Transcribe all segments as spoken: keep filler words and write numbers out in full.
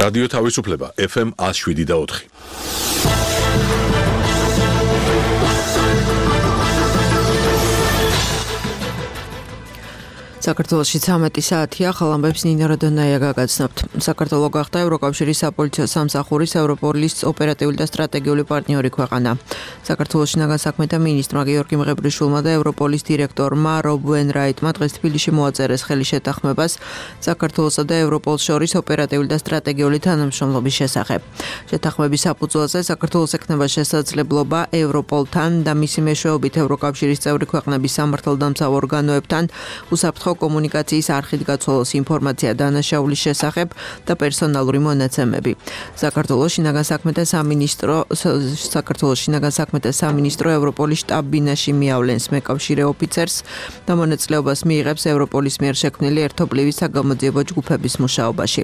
რადიო თავისუფლება ეფ ემ one oh seven და four. საქართველოში ცამეტი საათია, ხალამბებს ნინა როდონაია გაგაცნობთ. საქართველო გახდა ევროკავშირის საპოლიციო სამსახურის ევროპოლის ოპერატიული და სტრატეგიული პარტნიორი ქვეყანა. საქართველოს შინაგან საქმეთა მინისტრმა გიორგი მღებრიშვილმა და ევროპოლის დირექტორმა რობ ვენრაიტმა დღეს თბილისში მოაწერეს ხელი შეთანხმებას საქართველოსა და ევროპოლს შორის ოპერატიული და სტრატეგიული თანამშრომლობის შესახებ. შეთანხმების საფუძველზე საქართველოს ექნება შესაძლებლობა ევროპოლთან და მისი მეშვეობით ევროკავშირის წევრი ქვეყნების სამართალდამცავ ორგანოებთან უსაფრთხო კომუნიკაციის არხით გაცვალოს ინფორმაცია დანაშაულის შესახებ და პერსონალური მონაცემები. საქართველოს შინაგან საქმეთა სამინისტრო საქართველოს შინაგან საქმეთა სამინისტრო ევროპოლის შტაბ-ბინაში მიავლენს მეკავშირე ოფიცერს და მონაწილეობას მიიღებს ევროპოლის მიერ შექმნილი ერთობლივი საგამოძიებო ჯგუფების მუშაობაში.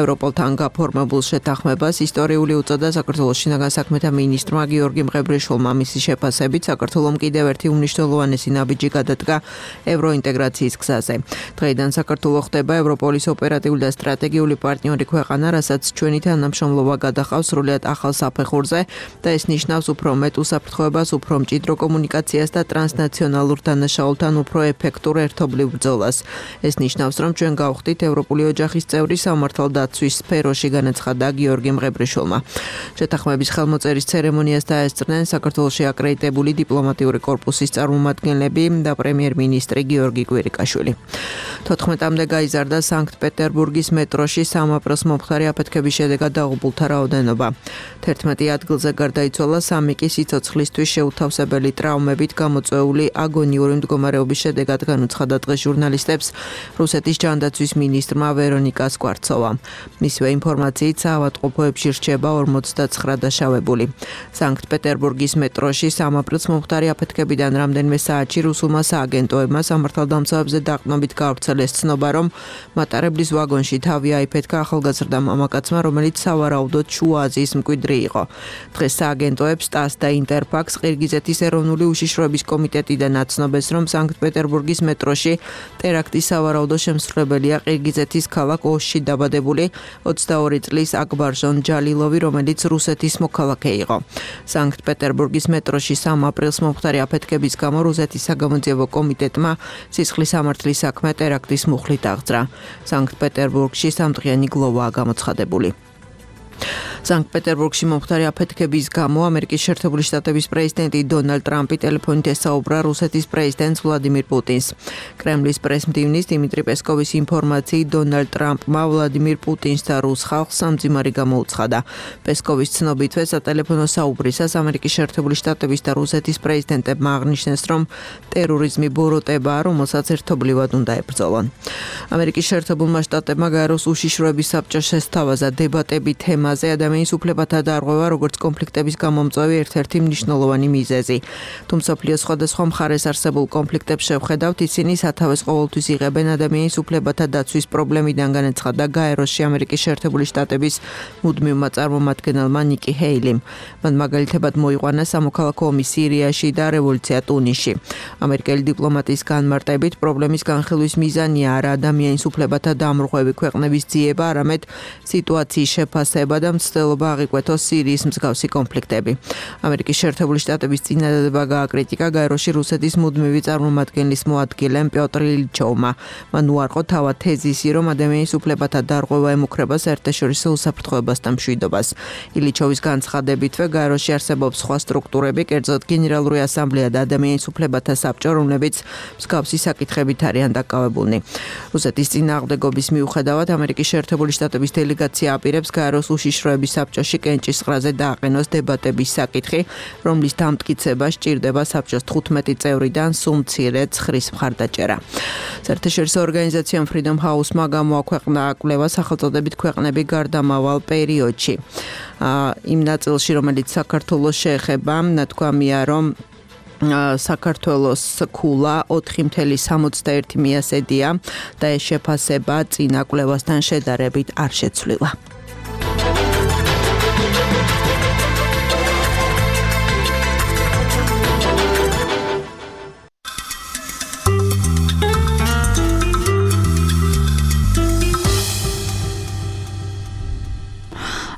ევროპოლთან გაფორმებულ შეთანხმებას ისტორიული უწოდა საქართველოს შინაგან საქმეთა მინისტრმა გიორგი მღებრიშვილმა მისი შეფასებით საქართველოს კიდევ ერთი უმნიშვნელოვანესი ნაბიჯი გადადგა ევროინტეგრაციის გზაზე. დღეიდან საქართველო ხდება ევროპოლის ოპერატიული და სტრატეგიული პარტნიორი ქვეყანა, რასაც ჩვენი თანამშრომლობა გადახავს სრულიად ახალ საფეხურზე და ეს ნიშნავს უფრო მეტ უსაფრთხოებას, უფრო მჭიდრო კომუნიკაციას და ტრანსნაციონალურ დანაშაულთან უფრო ეფექტურ ერთობლივ ბრძოლას. ეს ნიშნავს, რომ ჩვენ გავხდით ევროპული ოჯახის წევრი სამართალდაცვის სფეროში, განაცხადა გიორგი მღებრიშვილმა. შეთანხმების ხელმოწერის ცერემონიას დაესწრნენ საქართველოში აკრედიტებული დიპლომატიური კორპუსის წარმომადგენლები და პრემიერ-მინისტრი გიორგი კვირიკაშვილი. თოთხმეტამდე გაიზარდა სანქტ-პეტერბურგის მეტროში სამაპროს მომხდარი აფეთქების შედეგად დაღუპულთა რაოდენობა. თერთმეტი ადგილზე გარდაიცვალა, სამი კი სიცოცხლისთვის შეუთავსებელი ტრავმებით გამოწვეული აგონიური მდგომარეობის შედეგად, განუცხადა დღეს ჟურნალისტებს რუსეთის ჯანდაცვის მინისტრმა ვერონიკა სკვარცოვამ. მისივე ინფორმაციით საავადმყოფოებში რჩება ორმოცდაცხრა დაშავებული. სანქტ-პეტერბურგის მეტროში სამაპროს მომხდარი აფეთქებიდან რამდენიმე საათში რუსულმა სააგენტოებმა სამართალდამცავებზე დაყრდნობით გავრცელეს ცნობა, რომ მატარებლის ვაგონში თავი აიფეთქა ახალგაზრდა მამაკაცმა, რომელიც სავარაუდოდ შუა აზიის მკვიდრი იყო. დღეს სააგენტოებს ტას და ინტერფაქს ყირგიზეთის ეროვნული უშიშროების კომიტეტიდან აცნობეს, რომ სანქტ-პეტერბურგის მეტროში ტერაქტის სავარაუდო შემსრულებელია ყირგიზეთის ქალაქ ოში დაბადებული ოცდაორი წლის აკბარჟონ ჯალილოვი, რომელიც რუსეთის მოქალაქე იყო. სანქტ-პეტერბურგის მეტროში სამ აპრილს მომხდარი აფეთქების გამო რუსეთის საგამოძიებო კომიტეტმა სისხლის სამართლის საქმე ტერაქტის მუხლით აღძრა. სანქტ-პეტერბურგში სამდღიანი გლოვაა გამოცხადებული. სანქტ-პეტერბურგში მომხდარი აფეთქების გამო ამერიკის შეერთებული შტატების პრეზიდენტი დონალდ ტრამპი ტელეფონით ესაუბრა რუსეთის პრეზიდენტს ვლადიმირ პუტინს. კრემლის პრესმდივნის დიმიტრი პესკოვის ინფორმაციით დონალდ ტრამპმა ვლადიმირ პუტინს და რუს ხალხს სამძიმარი გამოუცხადა. პესკოვის ცნობითვე სატელეფონო საუბრისას ამერიკის შეერთებული შტატების და რუსეთის პრეზიდენტებმა აღნიშნეს, რომ ტერორიზმი ბოროტებაა, რომელსაც ერთობლივად უნდა ებრძოლონ. ამერიკის შეერთებულმა შტატებმა გაეროს უშიშროების საბჭოს შესთავაზა დებატები თემაზე ადამიანის უფლებათა დარღვევა, როგორც კონფლიქტების გამომწვევი ერთ-ერთი მნიშვნელოვანი მიზეზი. თუმცა მსოფლიოს სხვადასხვა მხარეს არსებულ კონფლიქტებს შევხედავთ, ისინი სათავეს ყოველთვის იღებენ ადამიანის უფლებათა დაცვის პრობლემიდან, განაცხადა გაეროში ამერიკის შეერთებული შტატების მუდმივმა წარმომადგენელმა ნიკი ჰეილიმ. მან მაგალითებად მოიყვანა სამოქალაქო ომი სირიაში და რევოლუცია ტუნისში. ამერიკელი დიპლომატის განმარტებით, პრობლემის განხილვის მიზანია არა ადამიანის უფლებათა დამრღვევი ქვეყნების ძიება, არამედ სიტუაციის შეფასება და მცდელობა აღიკვეთოს სირიის მსგავსი კონფლიქტები. ამერიკის შეერთებული შტატების წინადადება გააკრიტიკა გაეროში რუსეთის მუდმივი წარმომადგენლის მოადგილემ პიოტრ ილიჩოვმა. მან უარყო თავად თეზისი, რომ ადამიანის უფლებათა დარღვევა ემუქრება საერთაშორისო უსაფრთხოებას და მშვიდობას. ილიჩოვის განცხადებითვე გაეროში არსებობს სხვა სტრუქტურები, კერძოდ გენერალური ასამბლეა და ადამიანის უფლებათა საბჭო, რომლებიც მსგავსი საკითხებით არიან დაკავებულნი. რუსეთის წინააღმდეგობის მიუხედავად ამერიკის შეერთებული შტატების დელეგაცია აპირებს გაეროს უშიშროების საბჭოში კენჭისყრაზე დააყენოს დებატების საკითხი, რომლის დამტკიცება სჭირდება საბჭოს თხუთმეტი წევრიდან სულ მცირე ცხრის მხარდაჭერა. საერთაშორისო ორგანიზაცია Freedom House-მა გამოაქვეყნა კვლევა სახელწოდებით ქვეყნები გარდამავალ პერიოდში. იმ ნაწილში, რომელიც საქართველოს შეეხება, ნათქვამია, რომ საქართველოს ქულა ოთხი კoma სამოცდაერთი მიასედია და ეს შეფასება წინა კვლევასთან შედარებით არ შეცვლილა.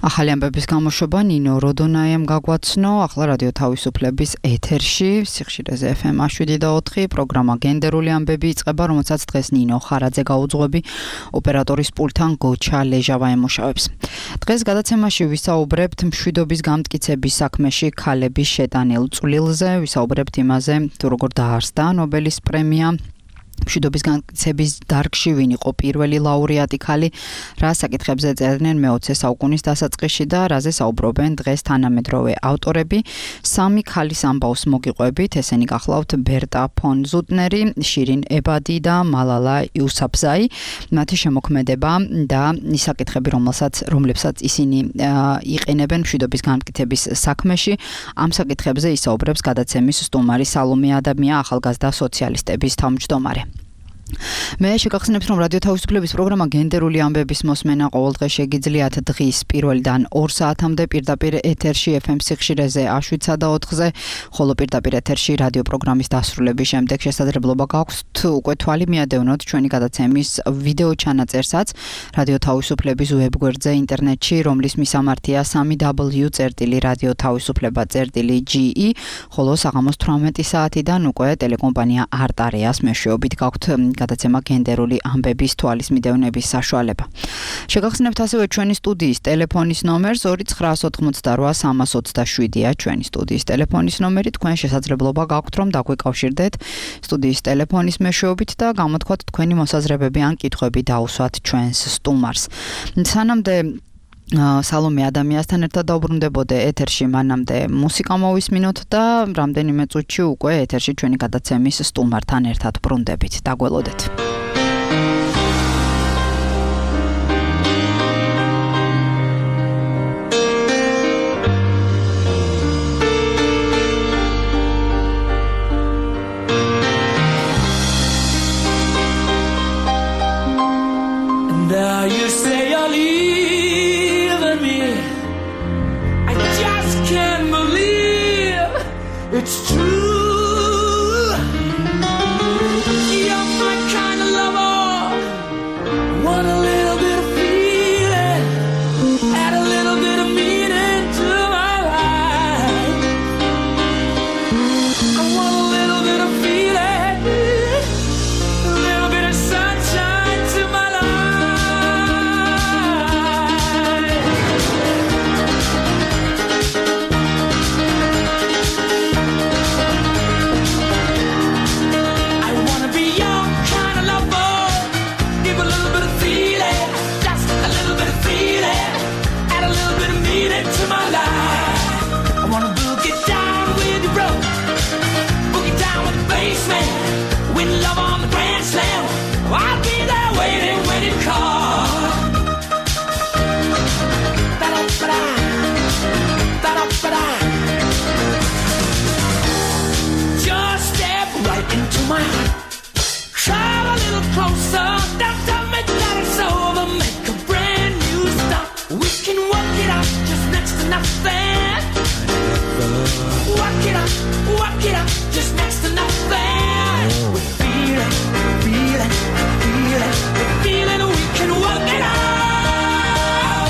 ახალი ამბების გამოშვება ნინო როდონაიამ გაგვაცნო, ახლა რადიო თავისუფლების ეთერში, სიხშირეზე ეფ ემ შვიდი და ოთხი, პროგრამა გენდერული ამბები იწყება, რომელსაც დღეს ნინო ხარაძე გაუძღვები, ოპერატორის პულტთან გოჩა ლეჟავა ემუშავებს. დღეს გადაცემაში ვისაუბრებთ მშვიდობის გამტკიცების საქმეში ქალების შეტანილ წვლილზე, ვისაუბრებთ იმაზე, თუ როგორ დაარსდა ნობელის პრემია. მშვიდობის გამტკიცების დარგში ვინ იყო პირველი ლაურეატი ქალი, რა საკითხებზე წერდნენ მეოცე საუკუნის დასაწყისში და რაზე საუბრობენ დღეს თანამედროვე ავტორები. სამი ქალის ამბავს მოგიყვებით, ესენი გახლავთ ბერტა ფონ ზუტნერი, შირინ ებადი და მალალა იუსაფზაი. მათი შემოქმედება და ის საკითხები, რომელსაც რომლებსაც ისინი იყენებენ მშვიდობის გამტკიცების საქმეში, ამ საკითხებზე ისაუბრებს გადაცემის სტუმარი სალომე ადამია, ახალგაზრდა სოციალისტების თავმჯდომარე. მე შეგახსენებთ, რომ რადიო თავისუფლების პროგრამა გენდერული ამბების მოსმენა ყოველდღე შეგიძლიათ დღის პირველიდან ორ საათამდე პირდაპირ ეთერში ეფ ემ სიხშირეზე შვიდსა და ოთხზე, ხოლო პირდაპირ ეთერში რადიო პროგრამის დასრულების შემდეგ შესაძლებლობა გაქვთ უკვე თვალი მიადევნოთ ჩვენი გადაცემის ვიდეო ჩანაწერსაც რადიო თავისუფლების ვებგვერდზე ინტერნეტში, რომლის მისამართია სამი დაბლიუ წერტილი რადიო თავისუფლება წერტილი ჯი ი, ხოლო საღამოს თვრამეტი საათიდან უკვე ტელეკომპანია არტარიას მეშვეობით გაქვთ გადაცემა გენდერული ამბების თვალის მიდევნების საშუალება. შეგახსენებთ ასევე ჩვენი სტუდიის ტელეფონის ნომერს ორი ცხრა ოთხმოცდარვა სამას ოცდაშვიდია ჩვენი სტუდიის ტელეფონის ნომერი, თქვენ შესაძლებლობა გაქვთ რომ დაგვიკავშირდეთ სტუდიის ტელეფონის მეშვეობით და გამოთქვათ თქვენი მოსაზრებები ან კითხვები დაუსვათ ჩვენს სტუმარს. სანამდე სალომე ადამიანთან ერთად დაუბრუნდებოდე ეთერში, მანამდე მუსიკა მოვისმინოთ და რამდენიმე წუთში უკვე ეთერში ჩვენი გადაცემის სტუმართან ერთად ბრუნდებით. დაგველოდეთ. It's true. You're my kind of lover. Want a little bit of feeling, add a little bit of meaning to my life. I want a little bit of feeling, a little bit of sunshine to my life. To my life, I wanna boogie down with the road, boogie down with the bassman, win love on the grand slam. I'll be there waiting when it calls. Da-da-ba-da, da-da-ba-da. Just step right into my heart, come a little closer, don't tell me that it's over, make a brand new start. We can work it out. Next to nothing. Walk it up, walk it up, just next to nothing. We feel it, feel it, feel it, we feel it, we can work it out.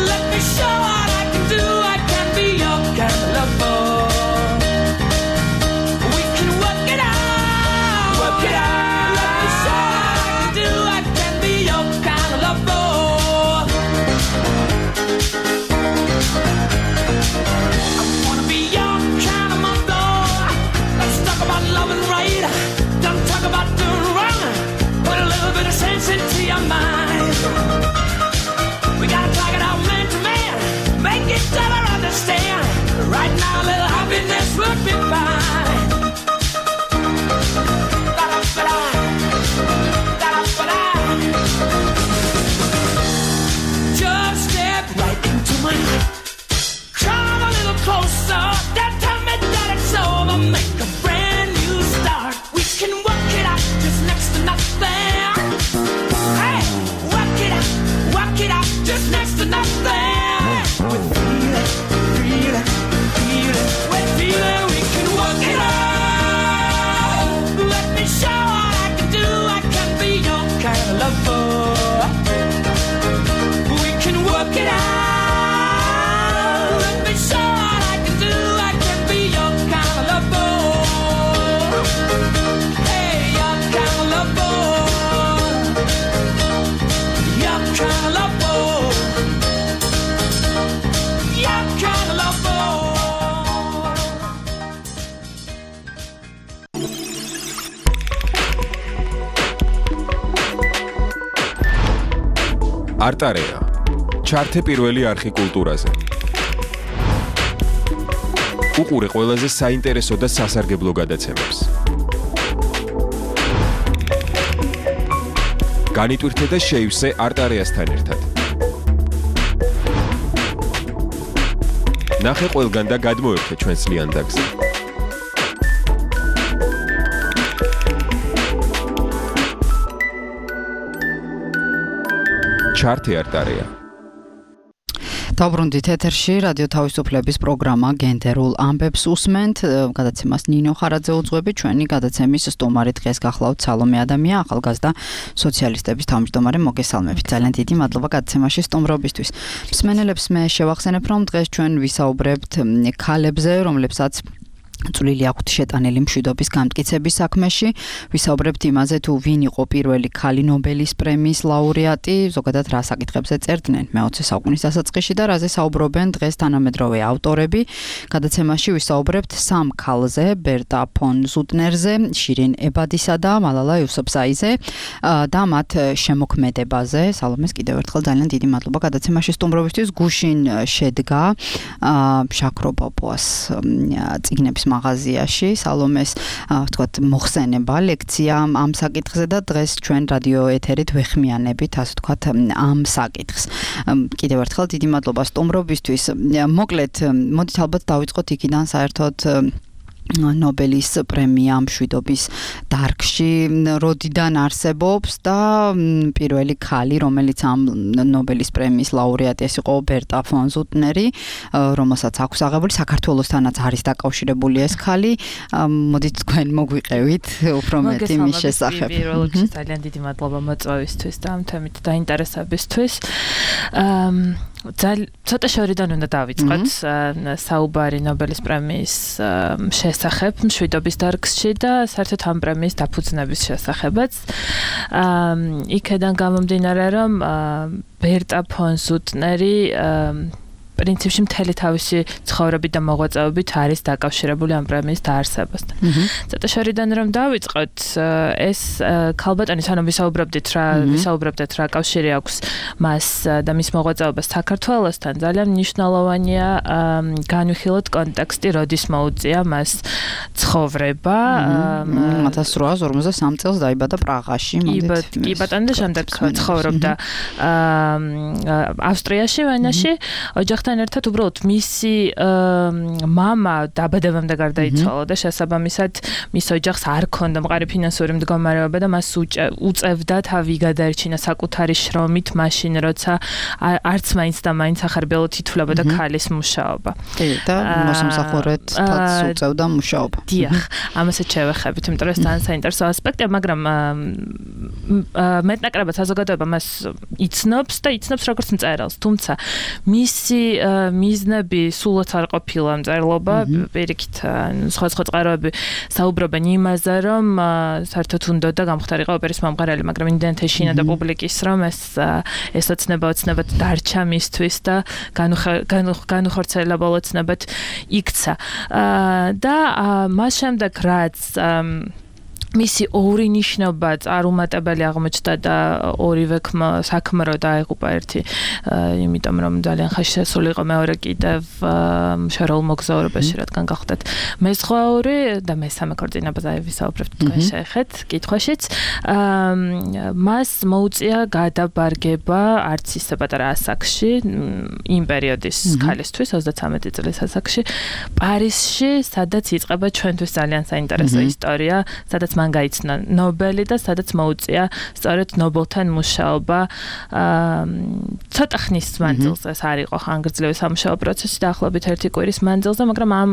Let me show what I can do, I can be your kind of lover. We can work it out, work it არტარეა. ჩართე პირველი არხი კულტურაზე. უყურე ყველაზე საინტერესო და სასარგებლო გადაცემებს. განიტვირთე და შეივსე არტარეასთან ერთად. ნახე ყველგან და გადმოერთე ჩვენს ლიანდაგზე. ჩართე არტარეა. დაბრუნდით ეთერში რადიო თავისუფლების პროგრამა გენდერულ ამბებს უსმენთ. გადაცემას ნინო ხარაძე უძღვები, ჩვენი გადაცემის სტუმარი დღეს გახლავთ სალომე ადამია, ახალგაზრდა სოციალისტების თავმჯდომარე. მოგესალმებით. ძალიან დიდი მადლობა გადაცემაში სტუმრობისთვის. მსმენელებს მე შევახსენებ, რომ დღეს ჩვენ ვისაუბრებთ ქალებზე, რომლებსაც წვლილი აქვთ შეტანილი მშვიდობის გამტკიცების საქმეში. ვისაუბრებთ იმაზე, თუ ვინ იყო პირველი ქალი ნობელის პრემიის ლაურეატი, ზოგადად რა საკითხებზე წერდნენ მეოცე საუკუნის დასაწყისში და რაზე საუბრობენ დღეს თანამედროვე ავტორები. გადაცემაში ვისაუბრებთ სამ ქალზე, ბერტა ფონ ზუტნერზე, შირინ ებადისა და მალალა იუსუფზაიზე და მათ შემოქმედებაზე. სალომეს კიდევ ერთხელ ძალიან დიდი მადლობა გადაცემაში სტუმრობისთვის. გუშინ შედგა შაქრობოპოს წიგნების მაღაზიაში სალომეს ვთქვათ მოხსენება ლექცია ამ საკითხზე და დღეს ჩვენ რადიო ეთერით ვეხმიანებით ასე ვთქვათ ამ საკითხს. კიდევ ერთხელ დიდი მადლობა სტუმრობისთვის. მოკლედ მოდით ალბათ დავიწყოთ იქიდან საერთოდ ნობელის პრემია მშვიდობის დარგში როდიდან არსებობს და პირველი ქალი, რომელიც ამ ნობელის პრემიის ლაურეატი ეს იყო ბერტა ფონ ზუტნერი, რომელსაც აქვს აღებული საქართველოსთანაც არის დაკავშირებული ეს ქალი. მოდით თქვენ მოგვიყევით უფრო მეტი მის შესახებ. პირველ რიგში ძალიან დიდი მადლობა მოწვევისთვის და ამ თემით დაინტერესებისთვის. ცოტა შორიდან უნდა დავიწყოთ საუბარი ნობელის პრემიის შესახებ მშვიდობის დარგში და საერთოდ ამ პრემიის დაფუძნების შესახებაც. იქედან გამომდინარე, რომ ბერტა ფონ ზუტნერი პრინციპში მთელი თავისი ცხოვრებით და მოღვაწეობით არის დაკავშირებული ამ პრემიის დაარსებასთან. ცოტა შორიდან რომ დავიწყოთ, ეს ქალბატონი სანამ ვისაუბრებდით რა ვისაუბრებდით რა კავშირი აქვს მას და მის მოღვაწეობას საქართველოსთან, ძალიან მნიშვნელოვანია განვიხილოთ კონტექსტი, როდის მოუწია მას ცხოვრება. ათას რვაას ორმოცდასამ წელს დაიბადა პრაღაში, მოდით. კი ბატონო, და შემდეგ ცხოვრობდა ავსტრიაში, ვენაში, ოჯახთან ერთად უბრალოდ მისი მამა დაბადებამდე გარდაიცვალა და შესაბამისად მის ოჯახს არ ჰქონდა მყარი ფინანსური მდგომარეობა და მას უწევდა თავი გადაერჩინა საკუთარი შრომით მაშინ, როცა არც მაინც და მაინც ახარბიელოდ ითვლებოდა ქალის მუშაობა. კი, და მოსამსახურეთაც უწევდა მუშაობა. დიახ, ამასაც შევეხებით, იმიტომ რომ ეს ძალიან საინტერესო ასპექტია, მაგრამ მეტნაკლებად საზოგადოება მას იცნობს და იცნობს როგორც მწერალს, თუმცა მისი მიზნები სულაც არ ყოფილა მწერლობა, პირიქით სხვა სხვა წყაროები საუბრობენ იმაზე, რომ საერთოდ უნდა და გამختارიყო ოპერის მომღერალი, მაგრამ იმდენად ეშინა და პუბლიკის, რომ ეს ეს ოცნება ოცნებად დარჩა მისთვის და განუხორციელებელ ოცნებად იქცა. და მას შემდეგ რაც მისი ორი ნიშნობა წარუმატებელი აღმოჩნდა და ორივე საქმრო დაეღუპა ერთი, იმიტომ რომ ძალიან ხაშესული იყო მეორე კიდევ მშრალ მოგზაურობაში, რადგან გახდათ მეზღვაური და მესამე ქორწინებაზე ვისაუბრებთ თქვენ შეეხეთ კითხვაშიც. მას მოუწია გადაბარგება არც ისე პატარა ასაკში, იმ პერიოდის ქალისთვის ოცდათვრამეტი წლის ასაკში, პარიზში, სადაც იწყება ჩვენთვის ძალიან საინტერესო ისტორია, სადაც მან გაიცნა ნობელი და სადაც მოუწია სწორედ ნობელთან მუშაობა. ცოტა ხნის მანძილზე ეს არ იყო ხანგრძლივი სამუშაო პროცესი, დაახლოებით ერთი კვირის მანძილზე, მაგრამ ამ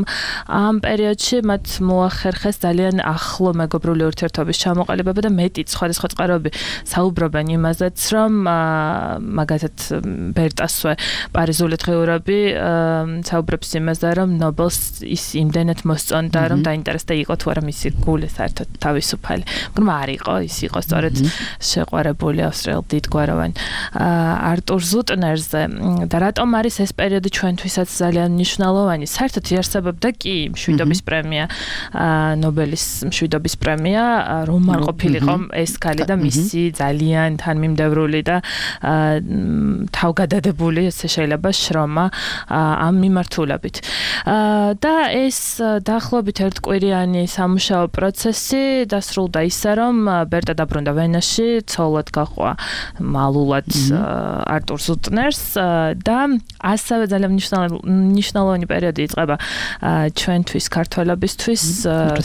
ამ პერიოდში მათ მოახერხეს ძალიან ახლო მეგობრული ურთიერთობის ჩამოყალიბება და მეტიც სხვადასხვა წყაროები საუბრობენ იმაზეც, რომ მაგათაც ბერტასვე პარიზული დღიურები საუბრობს იმაზე, რომ ნობელს ის იმდენად მოსწონდა, რომ დაინტერესდა იყო თუ არა მისი გული საერთოდ თავისუფალი. მაგრამ არ იყო, ის იყო სწორედ შეყვარებული ავსტრიელ დიდგვაროვან არტურ ზუტნერზე და რატომ არის ეს პერიოდი ჩვენთვისაც ძალიან მნიშვნელოვანი? საერთოდ იარსებობდა კი მშვიდობის პრემია, ნობელის მშვიდობის პრემია, რომ არ ყოფილიყო ეს ქალი და მისი ძალიან თანმიმდევრული და თავგადადებული ესე შეიძლება შრომა ამ მიმართულებით. და ეს დაახლოებით ერთკვირიანი სამუშაო პროცესი დასრულდა ისე, რომ ბერტა დაბრუნდა ვენაში, ცოლად გაყვა მალულად არტურ ზუტნერს და ასევე ძალიან მნიშვნელოვანი პერიოდი იწყება ჩვენთვის ქართველებისთვის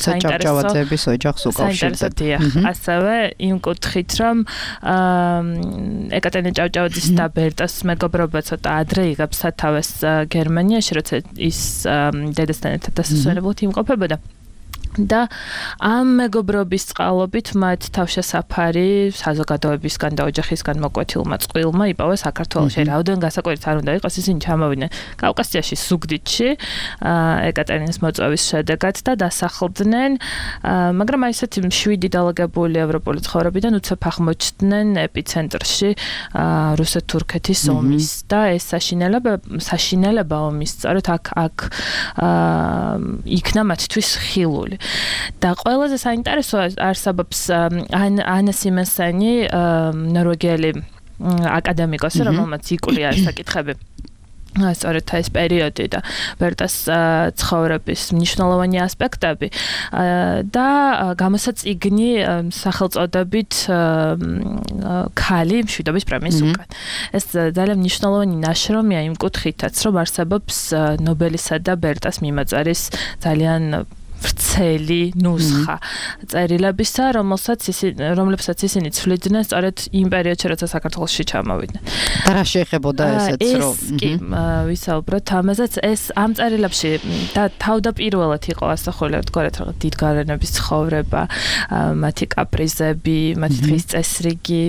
საინტერესოების ოჯახს უკავშირდება. ასევე იმ კუთხით, რომ ეკატერინე ჭავჭავაძის და ბერტას მეგობრობა ცოტა ადრე იღებს სათავეს გერმანიაში, როცა ის დედასთან ერთად დასასვენებლად იმყოფებოდა. და ამ მეგობრობის წყალობით მათ თავშესაფარი საზოგადოებისგან და ოჯახისგან მოკვეთილმა წყვილმა იპოვა საქართველოში. რაოდენ გასაკვირიც არ უნდა იყოს, ისინი ჩამოვიდნენ კავკასიაში, ზუგდიდში, ეკატერინეს მოწვევის შედეგად და დასახლდნენ, მაგრამ აი ესეთი შვიდი დალაგებული ევროპული ცხოვრებიდან უცებ აღმოჩნდნენ ეპიცენტრში რუსეთ-თურქეთის ომის და ეს საშინელება საშინელება ომის სწორედ აქ აქ იქნა მათთვის ხილული. და ყველაზე საინტერესო არსებობს ანა სიმენსენი, ნორვეგიელი აკადემიკოსი, რომელმაც იკვლია ეს საკითხები. სწორედ ეს პერიოდი და ბერტას ცხოვრების მნიშვნელოვანი ასპექტები და გამოსაწიგნი სახელწოდებით ქალი მშვიდობის პრემიის უკან. ეს ძალიან მნიშვნელოვანი ნაშრომია იმ კუთხითაც, რომ არსებობს ნობელისა და ბერტას მიმოწერის ძალიან ვრცელი ნუსხა წერილებისა, რომელსაც ისინი რომლებსაც ისინი ცვლიდნენ სწორედ იმ პერიოდში, როცა საქართველოში ჩამოვიდნენ. და რა შეეხებოდა ესეც, რომ ეს კი ვისაუბროთ ამაზეც, ეს ამ წერილებში და თავდაპირველად იყო ასახული ერთგვარად რაღაც დიდგვარენების ცხოვრება, მათი კაპრიზები, მათი დღის წესრიგი,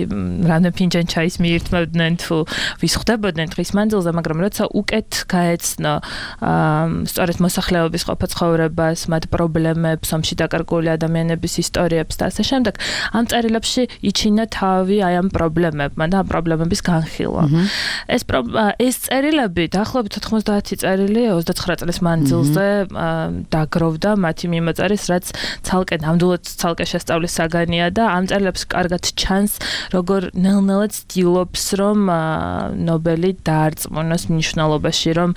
რამდენი ფინჯანი ჩაის მიირთმევდნენ თუ ვის ხვდებოდნენ დღის მანძილზე, მაგრამ როცა უკეთ გაეცნო სწორედ მოსახლეობის ყოფა ცხოვრებას, მათ პრობლემებს, ომში დაკარგული ადამიანების ისტორიებს და ასე შემდეგ, ამ წერილებში იჩინა თავი აი ამ პრობლემებმა და ამ პრობლემების განხილვა. ეს ეს წერილები დაახლოებით ოთხმოცდაათი წერილი ოცდაცხრა წლის მანძილზე დაგროვდა მათი მიმოწერის, რაც ცალკე ნამდვილად ცალკე შესწავლის საგანია და ამ წერილებს კარგად ჩანს, როგორ ნელ-ნელა ცდილობს, რომ ნობელი დაარწმუნოს მნიშვნელობაში, რომ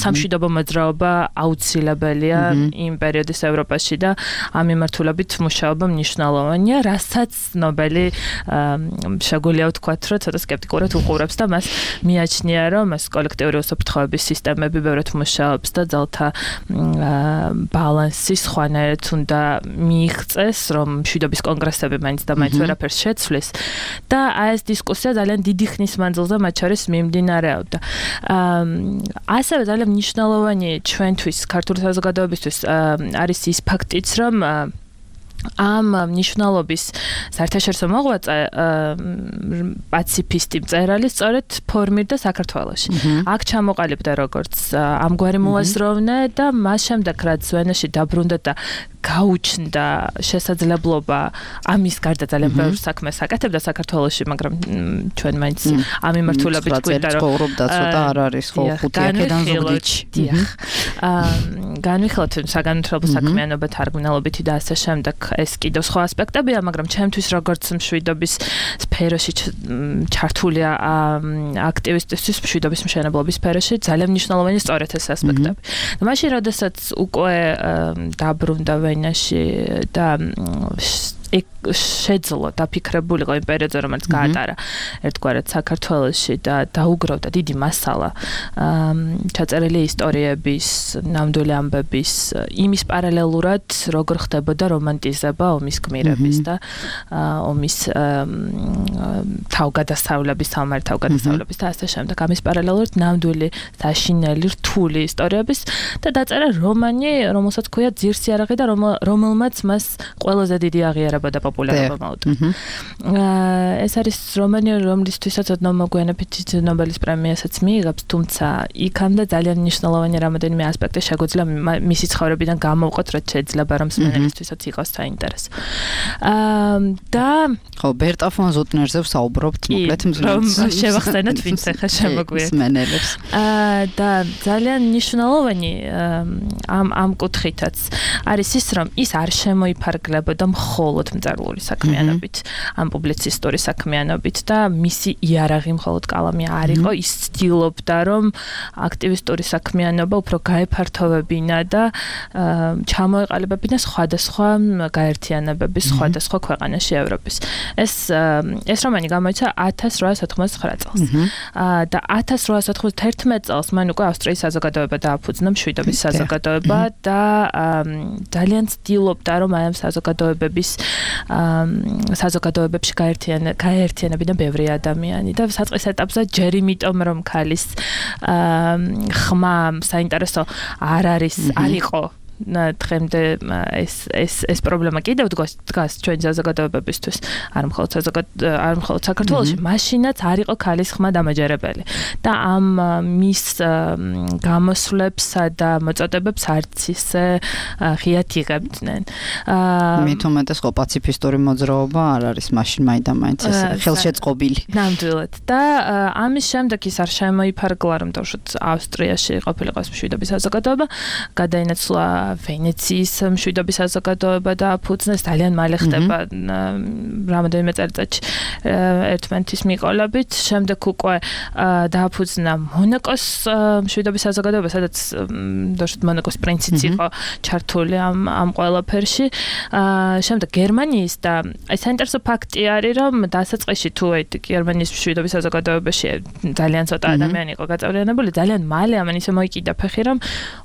სამშვიდობო მოძრაობა აუცილებელია იმ პერიოდის ევროპაში და ამ მიმართულებით მუშაობა მნიშვნელოვანია, რასაც ნობელი შეგვიძლია ვთქვათ, რომ ცოტა სკეპტიკურად უყურებს და მას მიაჩნია, რომ ეს კოლექტიური უსაფრთხოების სისტემები ბევრად მუშაობს და ძალთა ბალანსი სხვანაირად უნდა მიიღწეს, რომ მშვიდობის კონგრესები მაინც და მაინც ვერაფერს შეცვლის და აი ეს დისკუსია ძალიან დიდი ხნის მანძილზე მათ შორის მიმდინარეობდა. ასევე ძალიან მნიშვნელოვანი ჩვენთვის ქართული საზოგადოებისთვის არის ის ფაქტიც, რომ ამ მნიშვნელობის საერთაშორისო მოღვაწე პაციფისტი მწერალი სწორედ ფორმირდა საქართველოში. აქ ჩამოყალიბდა როგორც ამგვარი მოაზროვნე და მას შემდეგ რაც ვენაში დაბრუნდა და გაუჩნდა შესაძლებლობა ამის გარდა ძალიან ბევრ საქმეს აკეთებდა საქართველოში, მაგრამ ჩვენ მაინც ამ მიმართულებით გვინდა რომ ცხოვრობდა ცოტა არ არის ხო ხუთი აქედან ზუგდიდში. განვიხილოთ საგანმანათლებლო საქმიანობა, თარგმნელობითი და ასე შემდეგ. ეს კიდევ სხვა ასპექტებია, მაგრამ ჩემთვის როგორც მშვიდობის სფეროში ჩართული აქტივისტისთვის მშვიდობის მშენებლობის სფეროში ძალიან მნიშვნელოვანი სწორედ ეს ასპექტები. და მაშინ როდესაც უკვე დაბრუნდა ვენაში და შეძლო დაფიქრებულიყო იმ პერიოდზე, რომელიც გაატარა ერთგვარად საქართველოში და დაუგროვდა დიდი მასალა ჩაწერილი ისტორიების, ნამდვილი ამბების, იმის პარალელურად როგორ ხდებოდა რომანტიზება ომის გმირების და ომის თავგადასავლების, სამარი თავგადასავლების და ასე შემდეგ. ამის პარალელურად ნამდვილი საშინელი რთული ისტორიების და დაწერა რომანი, რომელსაც ქვია ძირს იარაღი და რომელმაც მას ყველაზე დიდი აღიარება გამეორებოდა პოპულარობა მოუტა. ეს არის რომანი, რომლისთვისაც ოდნავ მოგვიანებით ნობელის პრემიასაც მიიღებს, თუმცა იქამდე ძალიან მნიშვნელოვანი რამოდენიმე ასპექტი შეგვიძლია მისი ცხოვრებიდან გამოვყოთ, რაც შეიძლება რომ მსმენელისთვისაც იყოს საინტერესო. და ხო, ბერტა ფონ ზუტნერზე ვსაუბრობთ, მოკლედ მსმენელს შევახსენოთ, ვინც ახლა შემოგვიერთდა. მსმენელებს. და ძალიან მნიშვნელოვანი ამ ამ კუთხითაც არის ის, რომ ის არ შემოიფარგლებოდა მხოლოდ მწერლური საქმიანობით, ამ პუბლიცისტური საქმიანობით და მისი იარაღი მხოლოდ კალამი არ იყო, ის ცდილობდა, რომ აქტივისტური საქმიანობა უფრო გაეფართოვებინა და ჩამოეყალიბებინა სხვადასხვა გაერთიანებების სხვადასხვა ქვეყანაში ევროპის. ეს ეს რომანი გამოიცა ათას რვაას ოთხმოცდათხმეტ წელს. და ათას რვაას ოთხმოცდაერთმეტ წელს მან უკვე ავსტრიის საზოგადოება დააფუძნა, მშვიდობის საზოგადოება და ძალიან ცდილობდა, რომ აი ამ საზოგადოებების საზოგადოებებში გაერთიანებინა ბევრი ადამიანი და საწყის ეტაპზე ჯერ იმიტომ, რომ ქალის ხმა საინტერესო არ არის, არ იყო დღემდე ეს ეს ეს პრობლემა კიდევ დგას ჩვენ საზოგადოებებისთვის, არ მხოლოდ არ მხოლოდ საქართველოში, მაშინაც არ იყო ქალის ხმა დამაჯერებელი და ამ მის გამოსვლებსა და მოწოდებებს არც ისე ღიად იღებდნენ. მით უმეტეს ხო პაციფისტური მოძრაობა არ არის მაშინ მაინდა-მაინც ეს ხელშეწყობილი. ნამდვილად. და ამის შემდეგ ის არ შემოიფარგლა, რომ თავშოთ ავსტრიაში ყოფილიყოს მშვიდობის საზოგადოება, გადაინაცვლა ვენეციის მშვიდობის საზოგადოება და აფუძნეს, ძალიან მალე ხდება რამოდენიმე წელიწადში ერთმანეთის მიყოლებით. შემდეგ უკვე დააფუძნა მონაკოს მშვიდობის საზოგადოება, სადაც დაშოთ მონაკოს პრინციც იყო ჩართული ამ ამ ყველაფერში. შემდეგ გერმანიის და ეს საინტერესო ფაქტი არის, რომ დასაწყისში თუ გერმანიის მშვიდობის საზოგადოებაში ძალიან ცოტა ადამიანი იყო გაწევრიანებული, ძალიან მალე ამან ისე მოიკიდა ფეხი, რომ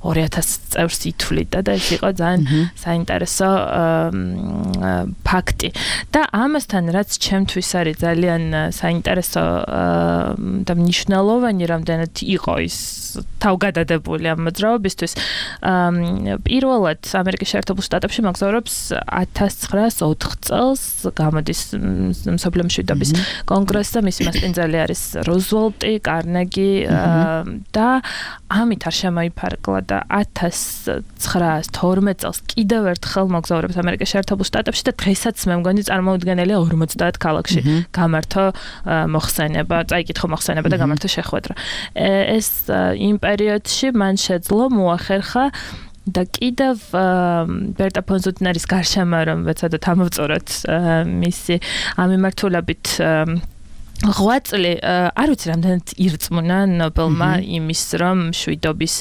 ორი ათას წევრს ითვლიდა და ეს იყო ძალიან საინტერესო ფაქტი. და ამასთან რაც ჩემთვის არის ძალიან საინტერესო და მნიშვნელოვანი, რამდენად იყო ის თავგადადებული ამ მოძრაობისთვის. პირველად ამერიკის შეერთებულ შტატებში მოგზაურობს ათას ცხრაას ოთხ წელს გამოდის მსოფლიო მშვიდობის კონგრესზე, მისი მასპინძელი არის რუზველტი, კარნეგი და ამით არ შემოიფარგლა და ათას ცხრაას თორმეტ წელს კიდევ ერთხელ მოგზაურობს ამერიკის შეერთებულ შტატებში და დღესაც მე მგონი წარმოუდგენელია ორმოცდაათ ქალაქში გამართო მოხსენება, წაიკითხო მოხსენება და გამართო შეხვედრა. ეს იმ პერიოდში მან შეძლო მოახერხა და კიდევ ბერტა ფონ ზუტნერის გარშემო რომ ვეცადოთ ამოვწოროთ მისი ამ მიმართულებით რვა წელი არ ვიცი რამდენად ირწმუნა ნობელმა იმის რომ მშვიდობის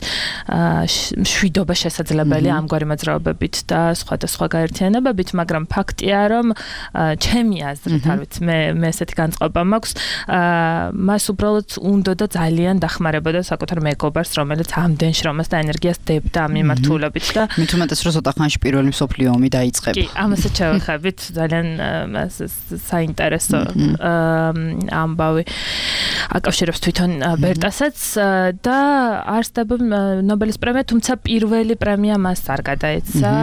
მშვიდობა შესაძლებელია ამგვარი მოძრაობებით და სხვადასხვა გაერთიანებებით, მაგრამ ფაქტია რომ ჩემი აზრით, არ ვიცი, მე მე ესეთი განწყობა მაქვს, მას უბრალოდ უნდოდა ძალიან დახმარებოდა საკუთარ მეგობარს, რომელიც ამდენ შრომას და ენერგიას დებდა ამ მიმართულებით და მით უმეტეს რომ ცოტა ხანში პირველი მსოფლიო ომი დაიწყება. კი, ამასაც შევეხებით, ძალიან საინტერესო ამბავი აკავშირებს თვითონ ბერტასაც და არსდება ნობელის პრემია, თუმცა პირველი პრემია მას არ გადაეცა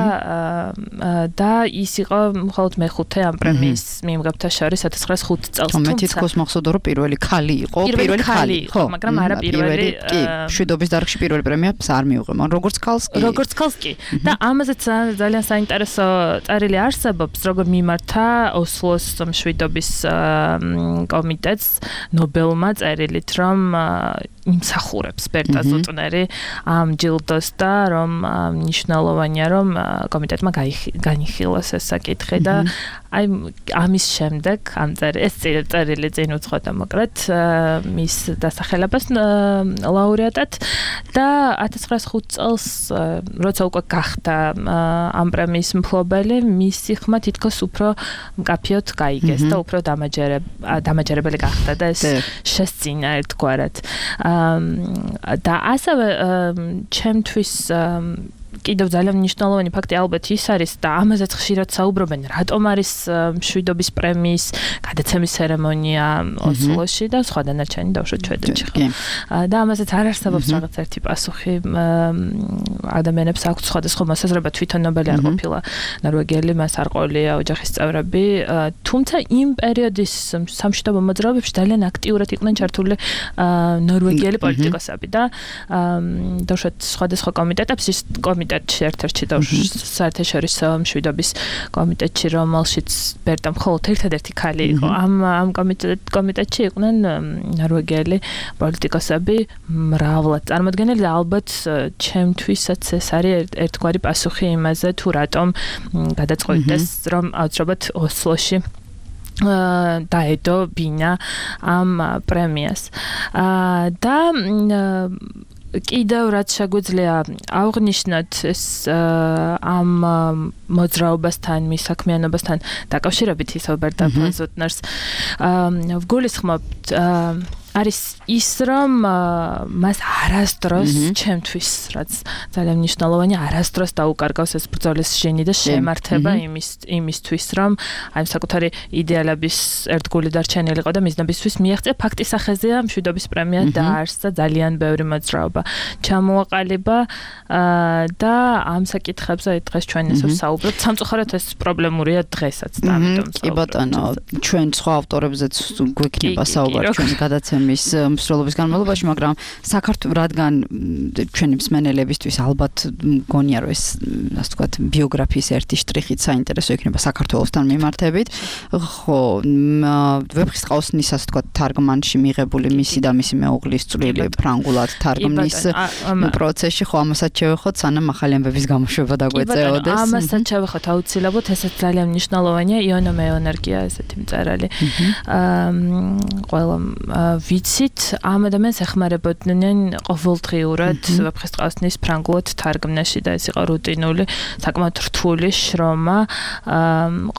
და ის იყო მხოლოდ მეხუთე ამ პრემიის მიმღებთა შორის ათას ცხრაას ხუთ წელს. თუმცა მე თვითონ მახსოვდა რომ პირველი ქალი იყო, პირველი ქალი იყო, მაგრამ არა პირველი კი, მშვიდობის დარგში პირველი პრემიას არ მიუღო, მაგრამ როგორც ქალს კი. როგორც ქალს კი. და ამაზეც ძალიან საინტერესო წერილი არსებობს, როგორ მიმართა ოსლოს მშვიდობის კომიტეტს ნობელმა წერილით, რომ იმსახურებს ბერტა ზუტნერი ამ ჯილდოს და რომ მნიშვნელოვანია რომ კომიტეტმა განიხილოს ეს საკითხი და აი ამის შემდეგ ამ ეს წერილი წინ უძღვოდა მოკლედ მის დასახელებას ლაურეატად და ათას ცხრაას ხუთ წელს როცა უკვე გახდა ამ პრემიის მფლობელი, მისი ხმა თითქოს უფრო მკაფიოდ გაიგეს და უფრო დამაჯერებელი გახდა და ეს შესწინა ერთგვარად. და ასევე ჩემთვის კიდევ ძალიან მნიშვნელოვანი ფაქტი ალბათ ის არის და ამაზეც ხშირად საუბრობენ, რატომ არის მშვიდობის პრემიის გადაცემის ცერემონია ოსლოში და სხვა დანარჩენი დავუშვათ შვედეთში. და ამაზეც არ არსებობს რაღაც ერთი პასუხი. ადამიანებს აქვს სხვადასხვა მოსაზრება, თვითონ ნობელი არ ყოფილა ნორვეგიელი, მას არ ყოლია ოჯახის წევრები, თუმცა იმ პერიოდის სამშვიდობო მოძრაობებში ძალიან აქტიურად იყვნენ ჩართული ნორვეგიელი პოლიტიკოსები და დავუშვათ სხვადასხვა კომიტეტებს, ის კომიტეტში ერთ-ერთი დავუშვათ საერთაშორისო მშვიდობის კომიტეტში, რომელშიც ბერტა მხოლოდ ერთადერთი ქალი იყო. ამ ამ კომიტეტში იყვნენ ნორვეგიელი პოლიტიკოსები მრავლად წარმოდგენილი და ალბათ ჩემთვისაც ეს არის ერთგვარი პასუხი იმაზე, თუ რატომ გადაწყვეტეს, რომ აუცილებლად ოსლოში დაედო ბინა ამ პრემიას. და კიდევ რაც შეგვიძლია აღვნიშნოთ ეს ამ მოძრაობასთან, მის საქმიანობასთან დაკავშირებით ის ალბერტა ფონ ზუტნერს ვგულისხმობთ არის ის, რომ მას არასდროს ჩემთვის, რაც ძალიან მნიშვნელოვანია, არასდროს დაუკარგავს ეს ბრძოლის ჟენი და შემართება იმის იმისთვის, რომ აი საკუთარი იდეალების ერთგული დარჩენილიყო და მიზნებისთვის მიაღწია. ფაქტის სახეზეა მშვიდობის პრემია დაარსდა ძალიან ბევრი მოძრაობა ჩამოაყალიბა და ამ საკითხებზე დღეს ჩვენ ესე ვსაუბრობთ. სამწუხაროდ ეს პრობლემურია დღესაც და ამიტომ კი ბატონო, ჩვენ სხვა ავტორებზეც გვექნება საუბარი ჩვენი გადაცემის მის მსვლელობის განმავლობაში, მაგრამ საქართველოს რადგან ჩვენი მსმენელებისთვის ალბათ მგონია რომ ეს ასე ვთქვათ ბიოგრაფიის ერთი შტრიხით საინტერესო იქნება საქართველოსთან მიმართებით. ხო, ვეფხისტყაოსნის ასე ვთქვათ თარგმანში მიღებული მისი და მისი მეუღლის წვლილი ფრანგულად თარგმნის პროცესში, ხო, ამასაც შევეხოთ, სანამ ახალი ამბების გამოშვება დაგვეწეოდეს. ამასაც შევეხოთ აუცილებლად, ესეც ძალიან მნიშვნელოვანია, იონა მეენერგია ესეთი მწერალი. ყველა ვიცით, ამ ადამიანს ეხმარებოდნენ ყოველდღიურად ვეფხისტყაოსნის ფრანგულად თარგმნაში და ეს იყო რუტინული, საკმაოდ რთული შრომა,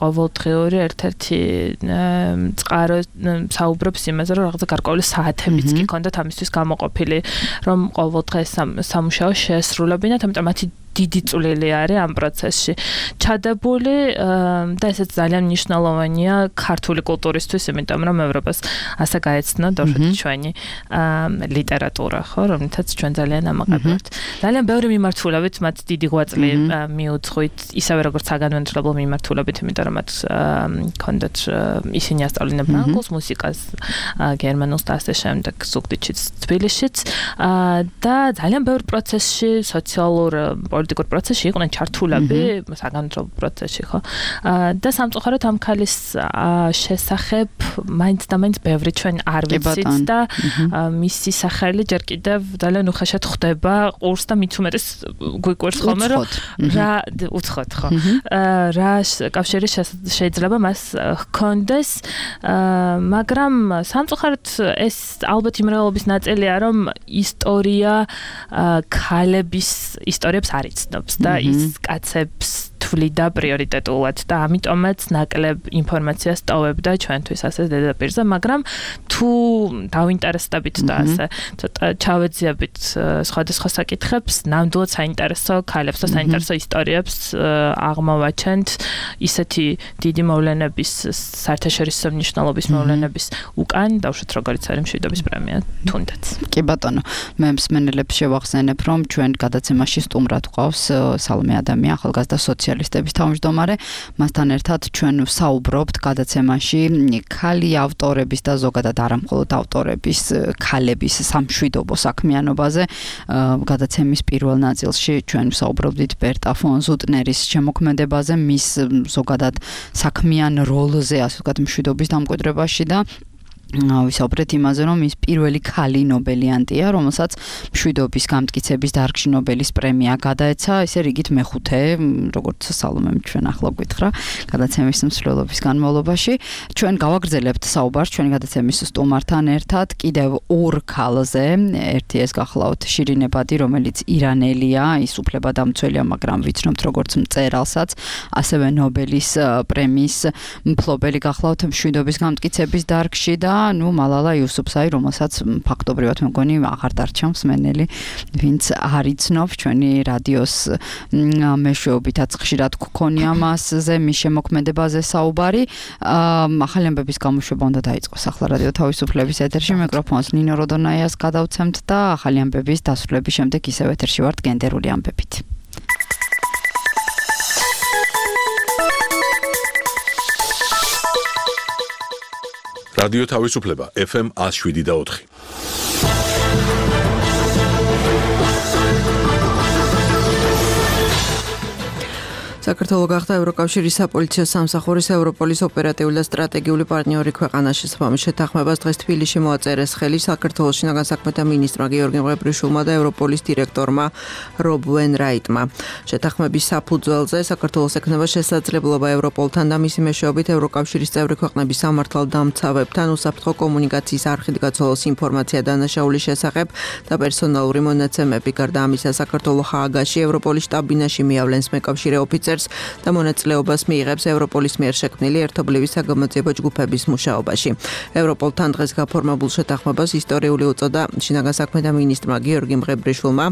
ყოველდღიური ერთ-ერთი წყარო საუბრობს იმაზე, რომ რაღაცა გარკვეული საათებიც კი ქონდათ ამისთვის გამოყოფილი, რომ ყოველდღე სამუშაო შეესრულებინათ, ამიტომ მათი დიდი წვლილი არის ამ პროცესში ჩადებული და ესეც ძალიან მნიშვნელოვანია ქართული კულტურისთვის, იმიტომ რომ ევროპას ასე გაეცნო დავუშვათ ჩვენი ლიტერატურა, ხო, რომელთაც ჩვენ ძალიან ამაყებთ. ძალიან ბევრი მიმართულებით მათ დიდი ღვაწლი მიუძღვით, ისევე როგორც საგანმანათლებლო მიმართულებით, იმიტომ რომ მათ ქონდათ ისინი ასწავლიდნენ ფრანგულს, მუსიკას, გერმანულს და ასე შემდეგ, ზუგდიდშიც, თბილისშიც და ძალიან ბევრ პროცესში, სოციალურ პოლიტიკურ პროცესში იყვნენ ჩართულები, საგანმანათლებლო პროცესში, ხო? და სამწუხაროდ ამ ქალის შესახებ მაინც და მაინც ბევრი ჩვენ არ ვიცით და მისი სახელი ჯერ კიდევ ძალიან უხეშად ხვდება ყურს და მით უმეტეს გვიკვირს ხოლმე, რომ რა უცხოთ, ხო? რა კავშირი შეიძლება მას ჰქონდეს, მაგრამ სამწუხაროდ ეს ალბათ იმ რეალობის ნაწილია, რომ ისტორია ქალების ისტორიებს არ იცნობს და ის კაცებს თვლიდა პრიორიტეტულად და ამიტომაც ნაკლებ ინფორმაციას ტოვებდა ჩვენთვის ასე დედაპირზე, მაგრამ თუ დავინტერესდებით და ასე ცოტა ჩავეძიებით სხვადასხვა საკითხებს, ნამდვილად საინტერესო ქალებს და საინტერესო ისტორიებს აღმოვაჩენთ ისეთი დიდი მოვლენების, საერთაშორისო მნიშვნელობის მოვლენების უკან, დავუშვათ როგორიც არის მშვიდობის პრემია თუნდაც. კი ბატონო, მე მსმენელებს შევახსენებ, რომ ჩვენ გადაცემაში სტუმრად ყავს სალომე ადამია, ახალგაზრდა სოციალისტების თავმჯდომარე. მასთან ერთად ჩვენ ვსაუბრობთ გადაცემაში ქალი ავტორების და ზოგადად არა მხოლოდ ავტორების, ქალების სამშვიდობო საქმიანობაზე. გადაცემის პირველ ნაწილში ჩვენ ვსაუბრობდით ბერტა ფონ ზუტნერის შემოქმედებაზე, მის ზოგადად საქმიან როლზე, ასე ვთქვათ, მშვიდობის დამკვიდრებაში და ვისაუბრეთ იმაზე, რომ ის პირველი ქალი ნობელიანტია, რომელსაც მშვიდობის გამტკიცების დარგში ნობელის პრემია გადაეცა, ისე რიგით მეხუთე, როგორც სალომემ ჩვენ ახლა გვითხრა, გადაცემის მსვლელობის განმავლობაში. ჩვენ გავაგრძელებთ საუბარს ჩვენი გადაცემის სტუმართან ერთად კიდევ ორ ქალზე. ერთი ეს გახლავთ შირინე ბადი, რომელიც ირანელია, ის უფლებადამცველია, მაგრამ ვიცნობთ როგორც მწერალსაც, ასევე ნობელის პრემიის მფლობელი გახლავთ მშვიდობის გამტკიცების დარგში და ნუ მალალა იუსუფზაი, რომელსაც ფაქტობრივად მეგონი აღარ დარჩა მსმენელი, ვინც არ იცნობს ჩვენი რადიოს მეშვეობითაც ხშირად გქონია მასზე, მის შემოქმედებაზე საუბარი. ახალი ამბების გამოშვება უნდა დაიწყოს ახლა რადიო თავისუფლების ეთერში, მიკროფონს ნინო როდონაიას გადავცემთ და ახალი ამბების დასრულების შემდეგ ისევ ეთერში ვართ გენდერული ამბებით. რადიო თავისუფლება ეფ ემ one oh seven და four. საქართველო გახდა ევროკავშირის საპოლიციო სამსახურის ევროპოლის ოპერატიული და სტრატეგიული პარტნიორი ქვეყანა. შესაბამის შეთანხმებას დღეს თბილისში მოაწერეს ხელი საქართველოს შინაგან საქმეთა მინისტრმა გიორგი მღებრიშვილმა და ევროპოლის დირექტორმა რობ ვენრაიტმა. შეთანხმების საფუძველზე საქართველოს ექნება შესაძლებლობა ევროპოლთან და მისი მეშვეობით ევროკავშირის წევრი ქვეყნების სამართალდამცავებთან უსაფრთხო კომუნიკაციის არხით გაცოლოს ინფორმაცია დანაშაულის შესახებ და პერსონალური მონაცემები. გარდა ამისა, საქართველო ჰააგაში ევროპოლის შტაბ-ბინაში მიავლენს მეკავშირე ოფიცერს და მონაწილეობას მიიღებს ევროპოლის მიერ შექმნილი ერთობლივი საგამოძიებო ჯგუფების მუშაობაში. ევროპოლთან დღეს გაფორმებულ შეთანხმებას ისტორიული უწოდა შინაგან საქმეთა მინისტრმა გიორგი მღებრიშვილმა,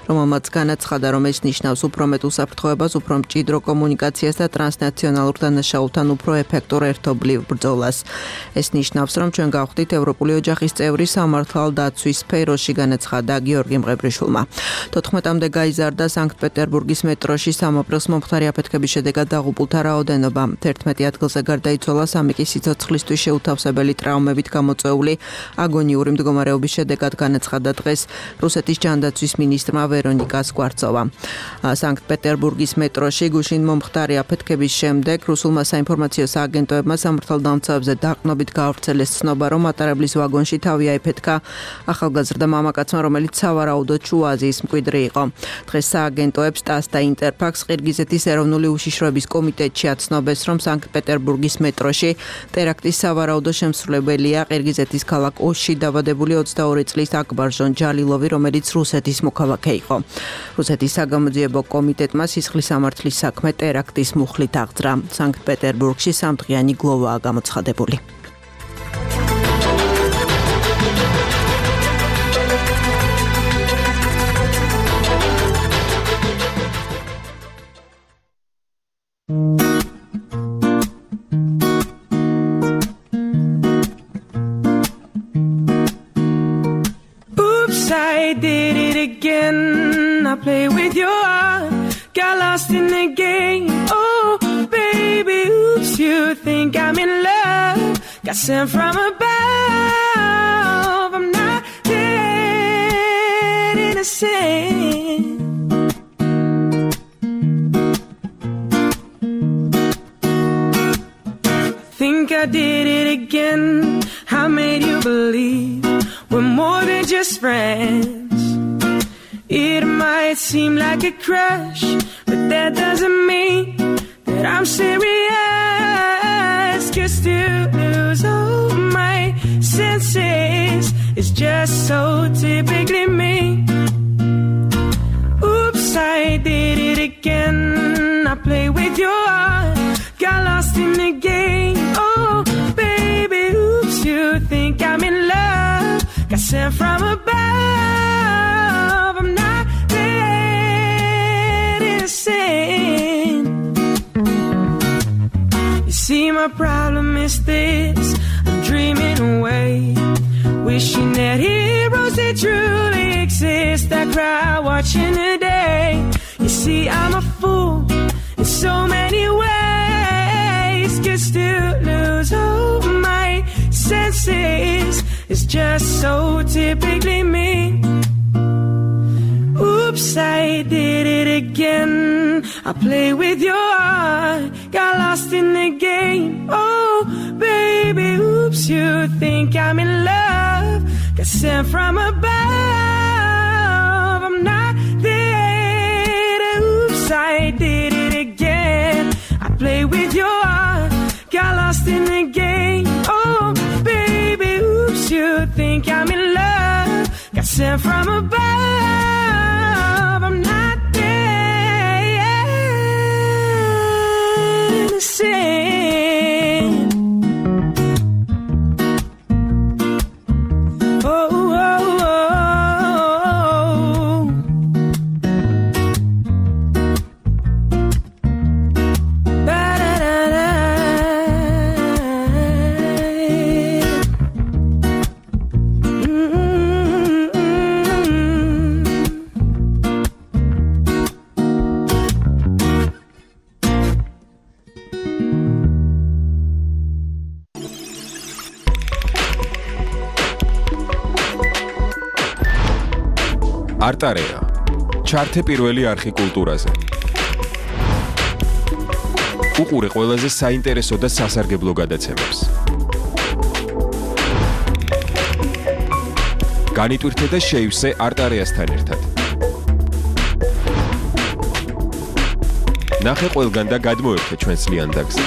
რომელმაც განაცხადა, რომ ეს ნიშნავს უფრო მეტ უსაფრთხოებას, უფრო მჭიდრო კომუნიკაციას და ტრანსნაციონალურ დანაშაულთან უფრო ეფექტურ ერთობლივ ბრძოლას. ეს ნიშნავს, რომ ჩვენ გავხდით ევროპული ოჯახის წევრი სამართალდაცვის სფეროში, განაცხადა გიორგი მღებრიშვილმა. თოთხმეტამდე გაიზარდა სანქტ-პეტერბურგის მეტროში სამ აპრილს მომხდარი აფეთქების შედეგად დაღუპულთა რაოდენობა. თერთმეტი ადგილზე გარდაიცვალა, სამი კი სიცოცხლისთვის შეუთავსებელი ტრაუმებით გამოწვეული აგონიური მდგომარეობის შედეგად, განაცხადა დღეს რუსეთის ჯანდაცვის მინისტრმა ვერონიკა სკვარცოვა. სანქტ-პეტერბურგის მეტროში გუშინ მომხდარი აფეთქების შემდეგ რუსულმა საინფორმაციო სააგენტოებმა სამართალდამცავებზე დაყრდნობით გაავრცელეს ცნობა, რომ მატარებლის ვაგონში თავი აიფეთქა ახალგაზრდა მამაკაცმა, რომელიც სავარაუდოდ შუა აზიის მკვიდრი იყო. დღეს სააგენტოებს ტას და ინტერფაქს ყირგიზეთის ეროვნული უშიშროების კომიტეტში აცნობეს, რომ სანქტ-პეტერბურგის მეტროში ტერაქტის სავარაუდო შემსრულებელია ყირგიზეთის ქალაქ ოში დაბადებული ოცდაორი წლის აკბარჟონ ჯალილოვი, რომელიც რუსეთის მოქალაქე იყო. რუსეთის საგამოძიებო კომიტეტმა სისხლის სამართლის საქმე ტერაქტის მუხლით აღძრა. სანქტ-პეტერბურგში სამდღიანი გლოვაა გამოცხადებული. Oops, I did it again. I play with your heart, got lost in the game. Oh, baby, oops, you think I'm in love, got sent from above. I'm not that innocent. Think I did it again. I made you believe we're more than just friends. It might seem like a crush, but that doesn't mean that I'm serious. Just to lose all my senses is just so typically me. Oops, I did it again. I play with your heart, got lost in the game. Oh, baby, oops, you think I'm in love, got sent from above. I'm not that innocent. You see, my problem is this, I'm dreaming away, wishing that heroes they truly exist. I cry watching the day. You see, I'm a fool in so many ways, just to lose all my senses is just so typically me. Oops, I did it again. I play with your heart, got lost in the game. Oh, baby, oops, you think I'm in love, got sent from above. I'm not there. Oops, I did it again. I play with your heart, got lost in the game. Oh, baby, oops, you think I'm in love, got sent from above. I'm not there, innocent. არტარეა. ჩართე პირველი არხი კულტურაზე. უყურე ყველაზე საინტერესო და სასარგებლო გადაცემებს. განიტვირთე და შეივსე არტარეასთან ერთად. ნახე ყველგან და გადმოერთე ჩვენს ლიანდაგზე.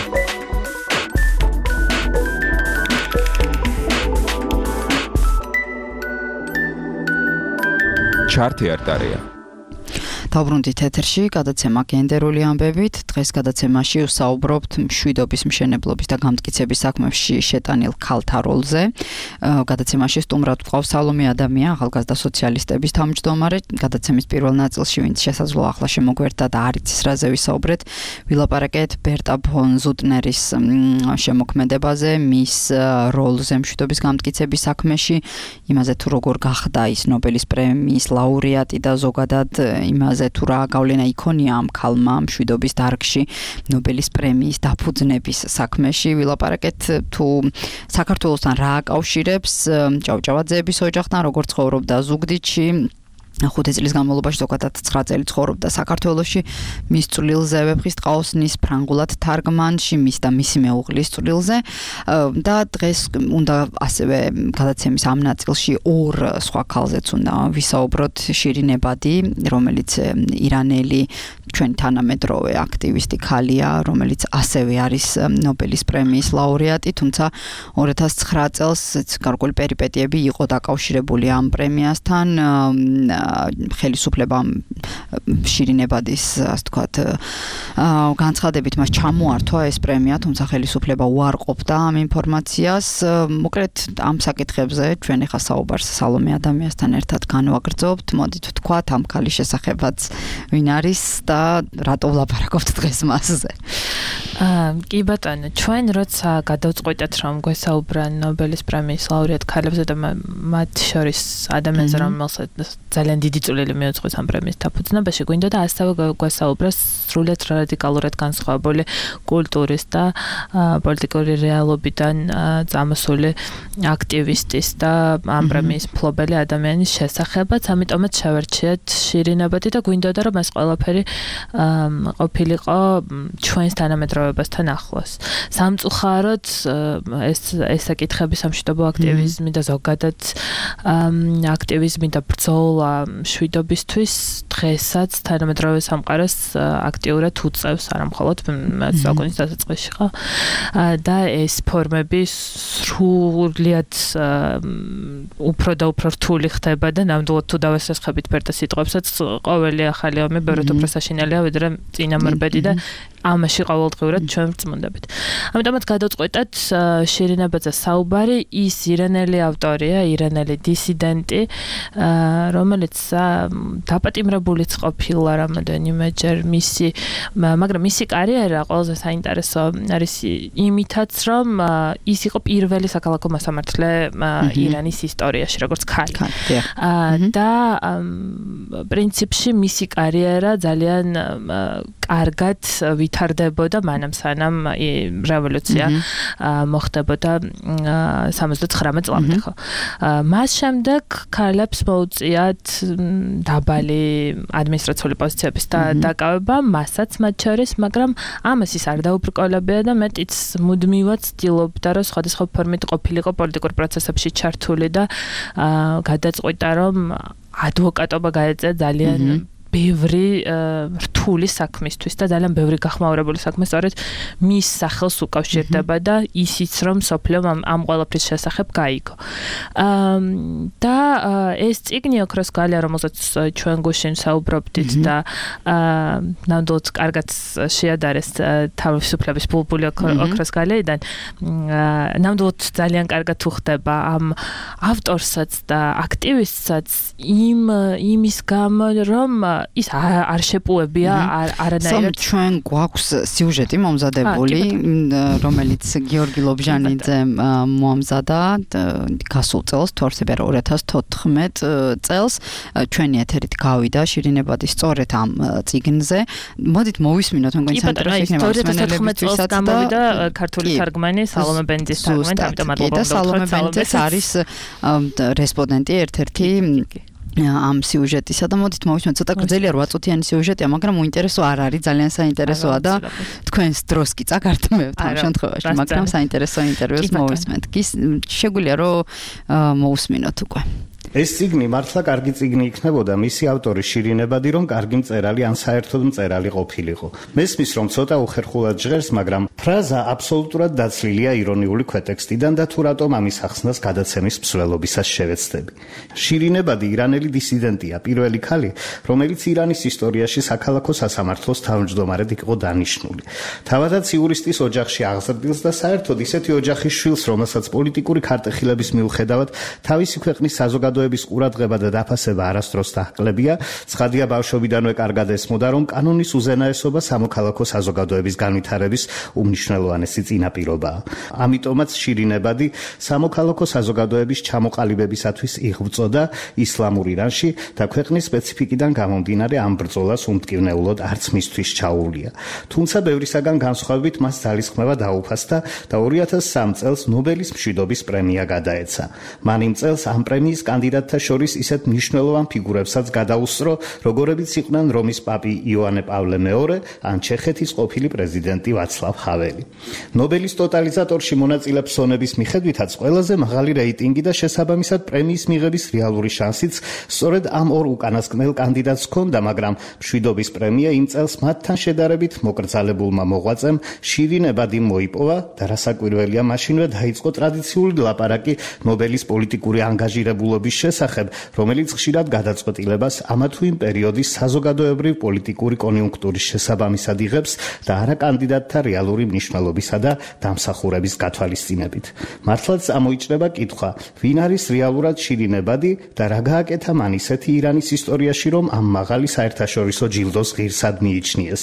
ჩართე არტარეა. დავბრუნდით ეთერში, გადაცემა გენდერული ამბებით. დღეს გადაცემაში ვსაუბრობთ მშვიდობის მშენებლობის და გამტკიცების საქმეებში შეტანილ ქალთა როლზე. გადაცემაში სტუმრად ვყავს სალომე ადამია, ახალგაზრდა სოციალისტების თავმჯდომარე. გადაცემის პირველ ნაწილში, ვინც შესაძლოა ახლა შემოგვერთა და არ იცის რაზე ვისაუბრეთ, ვილაპარაკეთ ბერტა ფონ ზუტნერის შემოქმედებაზე, მის როლზე მშვიდობის გამტკიცების საქმეში, იმაზე თუ როგორ გახდა ის ნობელის პრემიის ლაურეატი და ზოგადად იმაზე თუ რა გავლენა იქონია ამ ქალმა მშვიდობის დარგში ნობელის პრემიის დაფუძნების საქმეში. ვილაპარაკეთ თუ საქართველოსთან რა აკავშირებს ჭავჭავაძეების ოჯახთან, როგორ ცხოვრობდა ზუგდიდში. ხუთი წლის განმავლობაში ზოგადად ცხრა წელი ცხოვრობდა საქართველოში. მის წვლილზე ვეფხის ტყაოსნის ფრანგულად თარგმანში, მის და მისი მეუღლის წვლილზე და დღეს უნდა ასევე გადაცემის ამ ნაწილში ორ სხვა ქალზეც უნდა ვისაუბროთ. შირინებადი, რომელიც ირანელი ჩვენი თანამედროვე აქტივისტი ქალია, რომელიც ასევე არის ნობელის პრემიის ლაურეატი, თუმცა ორი ათას ცხრა წელს გარკვეული პერიპეტიები იყო დაკავშირებული ამ პრემიასთან. ხელისუფლებამ შირინებადის, ასე ვთქვათ, განცხადებით მას ჩამოართვა ეს პრემია, თუმცა ხელისუფლება უარყოფდა ამ ინფორმაციას. მოკლედ ამ საკითხებზე ჩვენ ახლა საუბარს სალომე ადამიანთან ერთად განვაგრძობთ. მოდით ვთქვათ ამ ქალის შესახებაც ვინ არის და რატო ვლაპარაკობთ დღეს მასზე. აა კი ბატონო, ჩვენ როცა გადავწყვიტეთ რომ გვესაუბრა ნობელის პრემიის ლაურეატ ქალებზე და მათ შორის ადამიანზე, რომელსაც ძალიან დიდი წვლილი მიუძღვის ამ პრემიის დაფუძნებაში, გვინდა და ასევე გვესაუბრა სრულიად რადიკალურად განსხვავებული კულტურის და პოლიტიკური რეალობიდან წამოსული აქტივისტის და ამ პრემიის მფლობელი ადამიანის შესახებაც, ამიტომაც შევერჩიეთ შირინებადი და გვინდოდა რომ ეს ყველაფერი ყოფილიყო ჩვენს თანამედროვეებასთან ახლოს. სამწუხაროდ ეს ეს საკითხები სამშვიდობო აქტივიზმი და ზოგადად აქტივიზმი და ბრძოლა მშვიდობისთვის დღესაც თანამედროვე სამყაროს აქტიურად უწევს, არა მხოლოდ საუკუნის დასაწყისში ხო და ეს ფორმები სრულიად უფრო და უფრო რთული ხდება და ნამდვილად თუ დავესახებით ბერტა სიტყვებსაც, ყოველი ახალი ომი ბევრად უფრო საშინელია ვიდრე წინამორბედი და ამაში ყოველდღიურად ჩვენ ვწმუნდებით. ამიტომაც გადავწყვეტეთ შირინებაძე საუბარი, ის ირანელი ავტორია, ირანელი დისიდენტი, რომელიც დაპატიმრებულიც ყოფილა რამოდენიმეჯერ მისი, მაგრამ მისი კარიერა ყველაზე საინტერესო არის იმითაც, რომ ის იყო პირველი საქალაქო მასამართლე ირანის ისტორიაში, როგორც ქალი. და პრინციპში მისი კარიერა ძალიან კარგად ვითარდებოდა მანამ სანამ რევოლუცია მოხდებოდა სამოცდათხრამეტ წლამდე ხო. მას შემდეგ ქალებს მოუწიათ დაბალი ადმინისტრაციული პოზიციების დაკავება, მასაც მათ შორის, მაგრამ ამას ის არ დაუბრკოლებია და მეტიც მუდმივად ცდილობდა, რომ სხვადასხვა ფორმით ყოფილიყო პოლიტიკურ პროცესებში ჩართული და გადაწყვიტა, რომ ადვოკატობა გაეწია ძალიან ბევრი რთული საქმისთვის და ძალიან ბევრი გახმაურებული საქმე სწორედ მის სახელს უკავშირდება და ისიც რომ სოფლიო ამ ყველაფრის შესახებ გაიგო. და ეს წიგნი ოქროს გალია, რომელსაც ჩვენ გუშინ საუბრობდით და ნამდვილად კარგად შეადარეს თავისუფლების ბულბული ოქროს გალეიდან, ნამდვილად ძალიან კარგად უხდება ამ ავტორსაც და აქტივისტსაც იმ იმის გამო, რომ ის არ შეპუებია არანაირად. ჩვენ გვაქვს სიუჟეტი მომზადებული, რომელიც გიორგი ლობჟანიძე მომზადა გასულ წელს, თორსებერ ორი ათას თოთხმეტ წელს. ჩვენი ეთერით გავიდა შირინებადი სწორედ ამ წიგნზე. მოდით მოვისმინოთ, მე მგონი საინტერესო იქნება მოსმენელებისთვისაც და გამოვიდა ქართული თარგმანი სალომე ბენძის თარგმანი, ამიტომ მადლობა. და სალომე ბენძის არის რესპონდენტი ერთ-ერთი ამ სიუჟეტისა და მოდით მოვისმენთ ცოტა გრძელია რვა წუთიანი სიუჟეტია, მაგრამ უინტერესო არ არის, ძალიან საინტერესოა და თქვენს დროს კი წაგართმევთ ამ შემთხვევაში, მაგრამ საინტერესო ინტერვიუს მოვისმენთ. კი შეგვიძლია რომ მოусმინოთ უკვე. ეს წიგნი მართლა კარგი წიგნი იქნებოდა მისი ავტორი შირინებადი რომ კარგი მწერალი ან საერთოდ მწერალი ყოფილიყო. მესმის რომ ცოტა უხერხულად ჟღერს, მაგრამ ფრაზა აბსოლუტურად დაცლილია ირონიული ქვეტექსტიდან და თუ რატომ ამის ახსნას გადაცემის მსვლელობისას შევეცდები. შირინებადი ირანელი დისიდენტია, პირველი ქალი, რომელიც ირანის ისტორიაში საქალაქო სასამართლოს თავმჯდომარედ იყო დანიშნული. თავადაც იურისტის ოჯახში აღზრდილს და საერთოდ ისეთი ოჯახის შვილს, რომელსაც პოლიტიკური ქარტეხილების მიუხედავად თავისი ქვეყნის საზოგადოების ყურადღება და დაფასება არასდროს დაჰკლებია, ცხადია ბავშვობიდანვე კარგად ესმოდა, რომ კანონის უზენაესობა სამოქალაქო საზოგადოების განვითარების უმნიშვნელოვანესი წინაპირობაა. ამიტომაც შირინებადი სამოქალაქო საზოგადოების ჩამოყალიბებისათვის იღვწოდა ისლამურ ირანში და ქვეყნის სპეციფიკიდან გამომდინარე ამ ბრძოლას უმტკივნეულოდ არც მისთვის ჩაუვლია. თუმცა ბევრისაგან განსხვავებით მას ძალისხმევა დაუფასდა და ორი ათას სამი წელს ნობელის მშვიდობის პრემია გადაეცა. მან იმ წელს ამ პრემიის კანდიდატთა შორის ისეთ მნიშვნელოვან ფიგურებსაც გადაუსწრო, როგორებიც იყვნენ რომის პაპი იოანე პავლე მეორე ან ჩეხეთის ყოფილი პრეზიდენტი ვაცლავ ჰაველი. ნობელის ტოტალიზატორში მონაწილე ფსონების მიხედვითაც ყველაზე მაღალი რეიტინგი და შესაბამისად პრემიის მიღების რეალური შანსიც სწორედ ამ ორ უკანასკნელ კანდიდატს ჰქონდა, მაგრამ მშვიდობის პრემია იმ წელს მათთან შედარებით მოკრძალებულმა მოღვაწემ შირინებადი მოიპოვა და რასაკვირველია, მაშინვე დაიწყო ტრადიციული ლაპარაკი ნობელის პოლიტიკური ანგაჟირებულობის შესახებ, რომელიც ხშირად გადაწყვეტილებას ამა თუ იმ პერიოდის საზოგადოებრივ პოლიტიკური კონიუნქტურის შესაბამისად იღებს და არა კანდიდატთა რეალური მნიშვნელობისა და დამსახურების გათვალისწინებით. მართლაც ამოიჭრება კითხვა, ვინ არის რეალურად შირინებადი და რა გააკეთა მან ისეთი ირანის ისტორიაში, რომ ამ მაღალი საერთაშორისო ჯილდოს ღირსად მიიჩნიეს.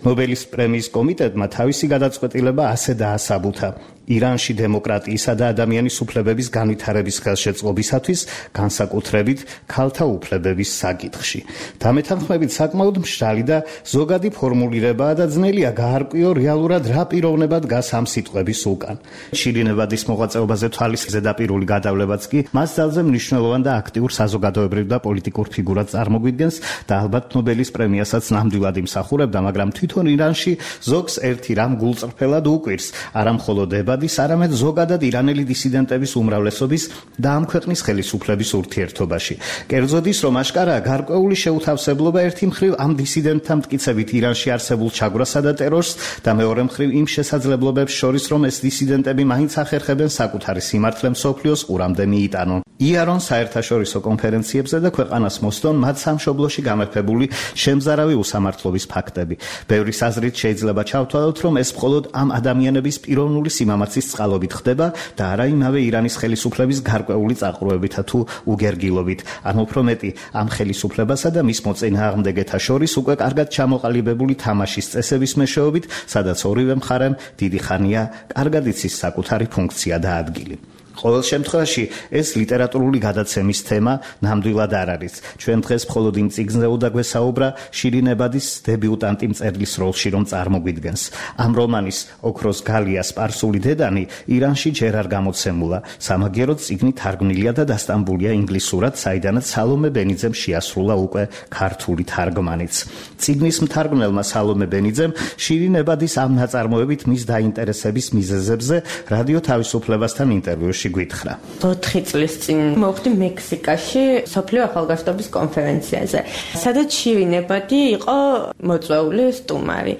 ნობელის პრემიის კომიტეტმა თავისი გადაწყვეტილება ასე დაასაბუთა. ირანში დემოკრატიისა და ადამიანის უფლებების განვითარების ხელშეწყობისათვის, განსაკუთრებით ქალთა უფლებების საკითხში. დამეთანხმებით საკმაოდ მშრალი და ზოგადი ფორმულირებაა და ძნელია გაარკვიო რეალურად რა პიროვნება დგას ამ სიტყვების უკან. შირინებადის მოღვაწეობაზე თვალის ზედაპირული გადავლებაც კი მას ძალზე მნიშვნელოვან და აქტიურ საზოგადოებრივ და პოლიტიკურ ფიგურად წარმოგვიდგენს და ალბათ ნობელის პრემიასაც ნამდვილად იმსახურებდა, მაგრამ თვითონ ირანში ზოგს ერთი რამ გულწრფელად უკვირს, არა მხოლოდ ებადის, არამედ ზოგადად ირანელი დისიდენტების უმრავლესობის და ამ ქვეყნის ხელისუფლების ურთიერთობაში. კერძოდის, რომ აშკარაა გარკვეული შეუთავსებლობა ერთი მხრივ ამ დისიდენტთა მტკიცებით ირანში არსებულ ჩაგვრასა და ტერორს და მეორე მხრივ იმ შესაძლებლობებს შორის, რომ ეს დისიდენტები მაინც ახერხებენ საკუთარი სიმართლე მსოფლიოს ყურამდე მიიტანონ. იარონ საერთაშორისო კონფერენციებზე და ქვეყანას მოსდონ მათ სამშობლოში გამეფებული შემზარავი უსამართლობის ფაქტები. ბევრის აზრით შეიძლება ჩავთვალოთ, რომ ეს მხოლოდ ამ ადამიანების პიროვნული სიმამაცის წყალობით ხდება და არა იმავე ირანის ხელისუფლების გარკვეული წაყრუებითა თუ უგერგილობით. ან უფრო მეტი, ამ ხელისუფლებასა და მის მოწინააღმდეგეთა შორის უკვე კარგად ჩამოყალიბებული თამაშის წესების მეშვეობით, სადაც ორივე მხარემ დიდი ხანია კარგად იცის საკუთარი ფუნქცია და ადგილი. ყოველ შემთხვევაში ეს ლიტერატურული გადაცემის თემა ნამდვილად არ არის. ჩვენ დღეს მხოლოდ იმ წიგნზე უნდა გვესაუბრა შირინებადის დებიუტანტი მწერლის როლში რომ წარმოგვიდგენს. ამ რომანის ოქროს გალია სპარსული დედანი ირანში ჯერ არ გამოცემულა. სამაგიეროდ წიგნი თარგმნილია და დასტამბულია ინგლისურად, საიდანაც სალომე ბენიძემ შეასრულა უკვე ქართული თარგმანიც. წიგნის მთარგმნელმა სალომე ბენიძემ შირინებადის ამ ნაწარმოებით მის დაინტერესების მიზეზებზე რადიო თავისუფლებასთან ინტერვიუში გითხრა. ოთხი წლის წინ მოვხდი მექსიკაში სოფლიო ახალგაზრდობის კონფერენციაზე, სადაც შირინებადი იყო მოწვეული სტუმარი.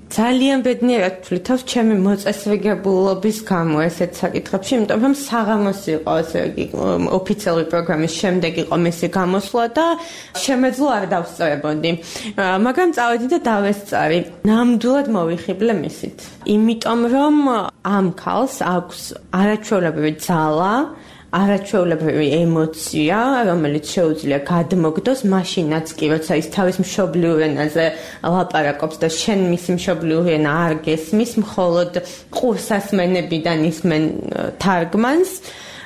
ძალიან ბედნიერად თვლითავს ჩემი მოწესრიგებულობის გამო ესეთ საკითხებში, იმიტომ რომ საღამოს იყო, ასე იგი ოფიციალური პროგრამის შემდეგ იყო მისი გამოსვლა და შემეძლო არ დავსწრებოდი. მაგრამ წავედი და დავესწარი. ნამდვილად მოვიხიბლე მისით. იმიტომ რომ ამ ქალს აქვს არაჩვეულებრივი ძალა, არაჩვეულებრივი ემოცია, რომელიც შეუძლია გადმოგდოს მაშინაც კი, როცა ის თავის მშობლიურ ენაზე ლაპარაკობს და შენ მისი მშობლიური ენა არ გესმის, მხოლოდ ყურსასმენებიდან ისმენ თარგმანს.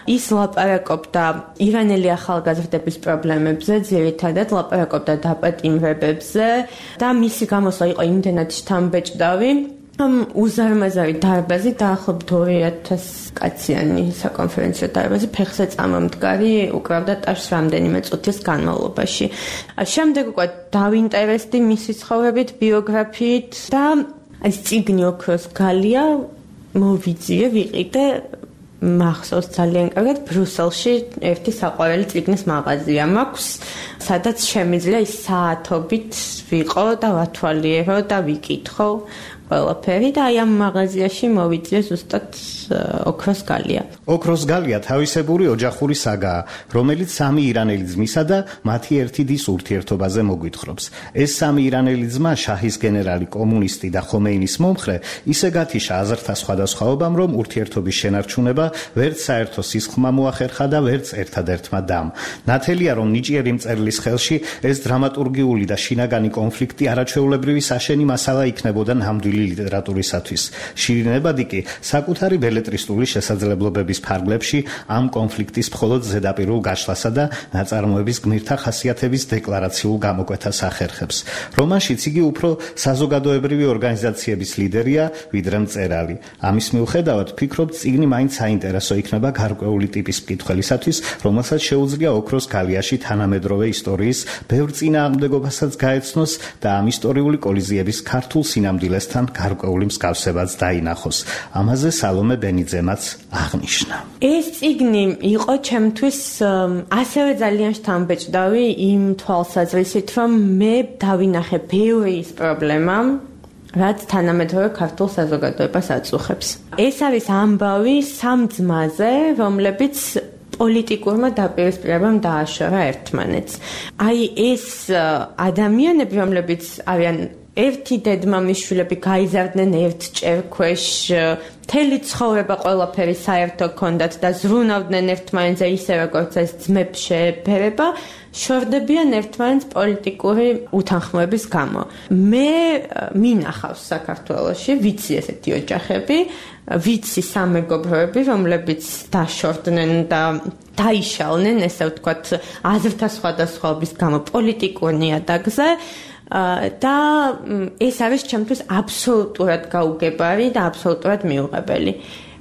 ის ლაპარაკობდა ირანელი ახალგაზრდების პრობლემებზე, ძირითადად ლაპარაკობდა დაპატიმრებებზე და მისი გამოსვლა იყო იმდენად შთამბეჭდავი, ამ უზარმაზარი დარბაზი დაახლოებით ორი ათასი კაციანი საკონფერენციო დარბაზი ფეხზე წამამდგარი უკრავდა ტაშს რამდენიმე წუთის განმავლობაში. შემდეგ უკვე დავინტერესდი მისი ცხოვრებით, ბიოგრაფიით და ეს წიგნი ოქროს გალია მოვიძიე, ვიყიდე მახსოვს ძალიან კარგად ბრიუსელში ერთი საყვარელი წიგნის მაღაზია მაქვს, სადაც შემიძლია ის საათობით ვიყო და ვათვალიერო და ვიკითხო ყველაფერი და აი ამ მაღაზიაში მოვიძიე ზუსტად ოქროს გალია. ოქროს გალია თავისებური ოჯახური საგაა, რომელიც სამი ირანელი ძმისა და მათი ერთი დის ურთიერთობაზე მოგვითხრობს. ეს სამი ირანელი ძმა, შაჰის გენერალი, კომუნისტი და ხომეინის მომხრე, ისე გათიშა აზრთა სხვადასხვაობამ, რომ ურთიერთობის შენარჩუნება ვერც საერთო სისხლმა მოახერხა და ვერც ერთადერთმა დამ. ნათელია, რომ ნიჭიერი მწერლის ხელში ეს დრამატურგიული და შინაგანი კონფლიქტი არაჩვეულებრივი საშენი მასალა იქნებოდა ნამდვილი ლიტერატურისათვის. შირინებადი კი საკუთარი ბელეტრისტული შესაძლებლობების ფარგლებში ამ კონფლიქტის მხოლოდ ზედაპირულ გაშლასა და ნაწარმოების გმირთა ხასიათების დეკლარაციულ გამოკვეთას ახერხებს. რომანშიც იგი უფრო საზოგადოებრივი ორგანიზაციების ლიდერია, ვიდრე მწერალი. ამის მიუხედავად, ფიქრობ, წიგნი მაინც საინტერესო იქნება გარკვეული ტიპის მკითხველისათვის, რომელსაც შეუძლია ოქროს გალიაში თანამედროვე ისტორიის ბევრ წინააღმდეგობასაც გაეცნოს და ამ ისტორიული კოლიზიების ქართულ სინამდვილესთან გარკვეული მსგავსებაც დაინახოს. ამაზე სალომე ბენიძემაც აღნიშნა. ეს წიგნი იყო ჩემთვის ასევე ძალიან შთამბეჭდავი იმ თვალსაზრისით, რომ მე დავინახე ბევრი ის პრობლემა, რაც თანამედროვე ქართულ საზოგადოებას აწუხებს. ეს არის ამბავი სამ ძმაზე, რომლებიც პოლიტიკურმა დაპირისპირებამ დააშორა ერთმანეთს. აი ეს ადამიანები, რომლებიც არიან ერთი დედმამის შვილები, გაიზარდნენ ერთ ჭერქვეშ, მთელი ცხოვრება ყველაფერი საერთო ჰქონდათ და ზრუნავდნენ ერთმანეთზე ისე როგორც ეს ძმებს შეეფერება, შორდებიან ერთმანეთს პოლიტიკური უთანხმოების გამო. მე მინახავს საქართველოში, ვიცი ესეთი ოჯახები, ვიცი სამეგობროები, რომლებიც დაშორდნენ და დაიშალნენ, ესე ვთქვათ, აზრთა სხვადასხვაობის გამო პოლიტიკურ ნიადაგზე. და ეს არის ჩემთვის აბსოლუტურად გაუგებარი და აბსოლუტურად მიუღებელი.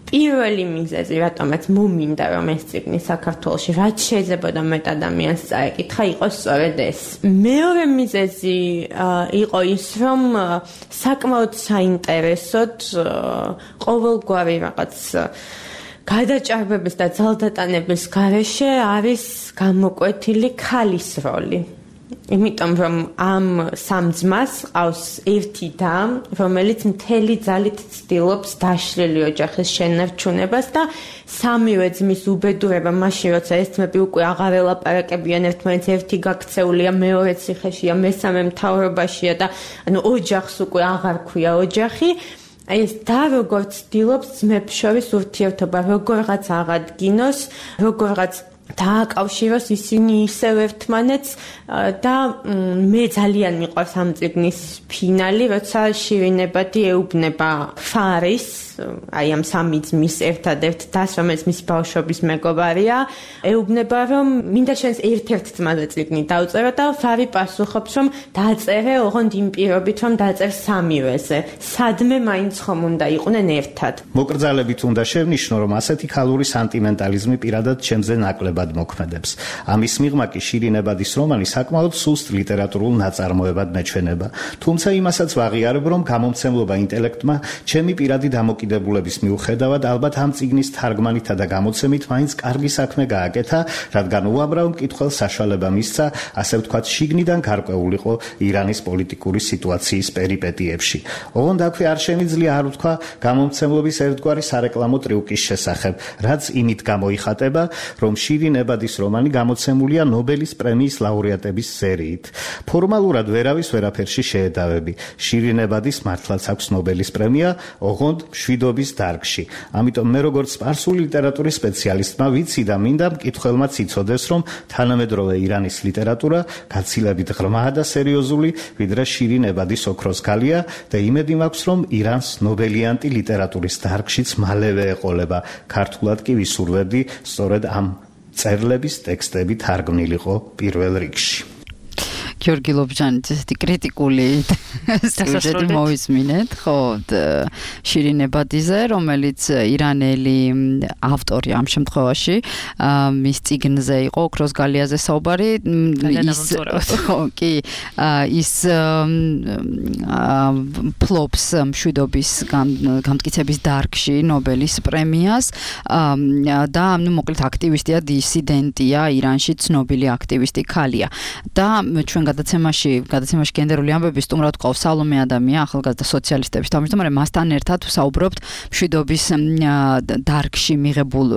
პირველი მიზეზი, რატომაც მომინდა რომ ეს წიგნი საქართველოში რაც შეიძლებოდა მეტ ადამიანს წაეკითხა, იყო სწორედ ეს. მეორე მიზეზი იყო ის, რომ საკმაოდ საინტერესოდ ყოველგვარი რაღაც გადაჭარბების და ძალდატანების გარეშე არის გამოკვეთილი ქალის როლი. იმიტომ რომ ამ სამ ძმას ყავს ერთი და, რომელიც მთელი ძალით ცდილობს დაშლილი ოჯახის შენარჩუნებას და სამივე ძმის უბედურება მაშინ, როცა ეს ძმები უკვე აღარ ელაპარაკებიან ერთმანეთს, ერთი გაქცეულია, მეორე ციხეშია, მესამე მთავრობაშია და ანუ ოჯახს უკვე აღარ ქვია ოჯახი. ეს და როგორ ცდილობს ძმებს შორის ურთიერთობა როგორღაც აღადგინოს, როგორღაც დააკავშიროს ისინი ისევ ერთმანეთს და მე ძალიან მიყვარს ამ წიგნის ფინალი, როცა შირინებადი ეუბნება ფარის, აი ამ სამი ძმის ერთადერთ დას, რომელიც მისი ბავშვობის მეგობარია, ეუბნება რომ მინდა შენს ერთ-ერთ ძმაზე წიგნი დავწერო და ფარი პასუხობს რომ დაწერე ოღონდ იმ პირობით რომ დაწერ სამივეზე. სადმე მაინც ხომ უნდა იყვნენ ერთად. მოკრძალებით უნდა შევნიშნო, რომ ასეთი ქალური სანტიმენტალიზმი პირადად ჩემზე ნაკლებად მოქმედებს. ამის მიღმა კი შირინებადის რომანი საკმაოდ სუსტ ლიტერატურულ ნაწარმოებად მეჩვენება. თუმცა იმასაც ვაღიარებ, რომ გამომცემლობა ინტელექტმა ჩემი პირადი დამოკიდებულების მიუხედავად ალბათ ამ წიგნის თარგმანითა და გამოცემით მაინც კარგი საქმე გააკეთა, რადგან უამრავ მკითხველს საშუალება მისცა, ასე ვთქვათ, შიგნიდან გარკვეულიყო ირანის პოლიტიკური სიტუაციის პერიპეტიებში. ოღონდ აქვე არ შემიძლია არ ვთქვა გამომცემლობის ერთგვარი სარეკლამო ტრიუკის შესახებ, რაც იმით გამოიხატება, რომ შირინებადის რომანი გამოცემულია ნობელის პრემიის ლაურეატების სერიით. ფორმალურად ვერავის ვერაფერში შეედავები. შირინებადის მართლაც აქვს ნობელის პრემია, ოღონდ მშვიდობის დარგში. ამიტომ მე როგორც სპარსული ლიტერატურის სპეციალისტმა ვიცი და მინდა მკითხველმაც იცოდეს, რომ თანამედროვე ირანის ლიტერატურა გაცილებით ღრმაა და სერიოზული, ვიდრე შირინებადის ოქროს გალია და იმედი მაქვს, რომ ირანს ნობელიანტი ლიტერატურის დარგშიც მალევე ეყოლება. ქართულად კი ვისურვებდი სწორედ ამ წერლების ტექსტები თარგმნილიყო პირველ რიგში. გიორგი ლობჟანის ესეთი კრიტიკული სიუჟეტი მოვისმინეთ, ხო, შირინებადიზე, რომელიც ირანელი ავტორი ამ შემთხვევაში, მის წიგნზე იყო ოქროს გალიაზე საუბარი, ის ხო, კი, ის ფლობს მშვიდობის გამტკიცების დარგში ნობელის პრემიას და ნუ მოკლედ აქტივისტია, დისიდენტია, ირანში ცნობილი აქტივისტი ქალია. და ჩვენ გადაცემაში, გადაცემაში გენდერული ამბები სტუმრად ყავს სალომე ადამია, ახალგაზრდა სოციალისტების თავმჯდომარე, მასთან ერთად ვსაუბრობთ მშვიდობის დარგში მიღებულ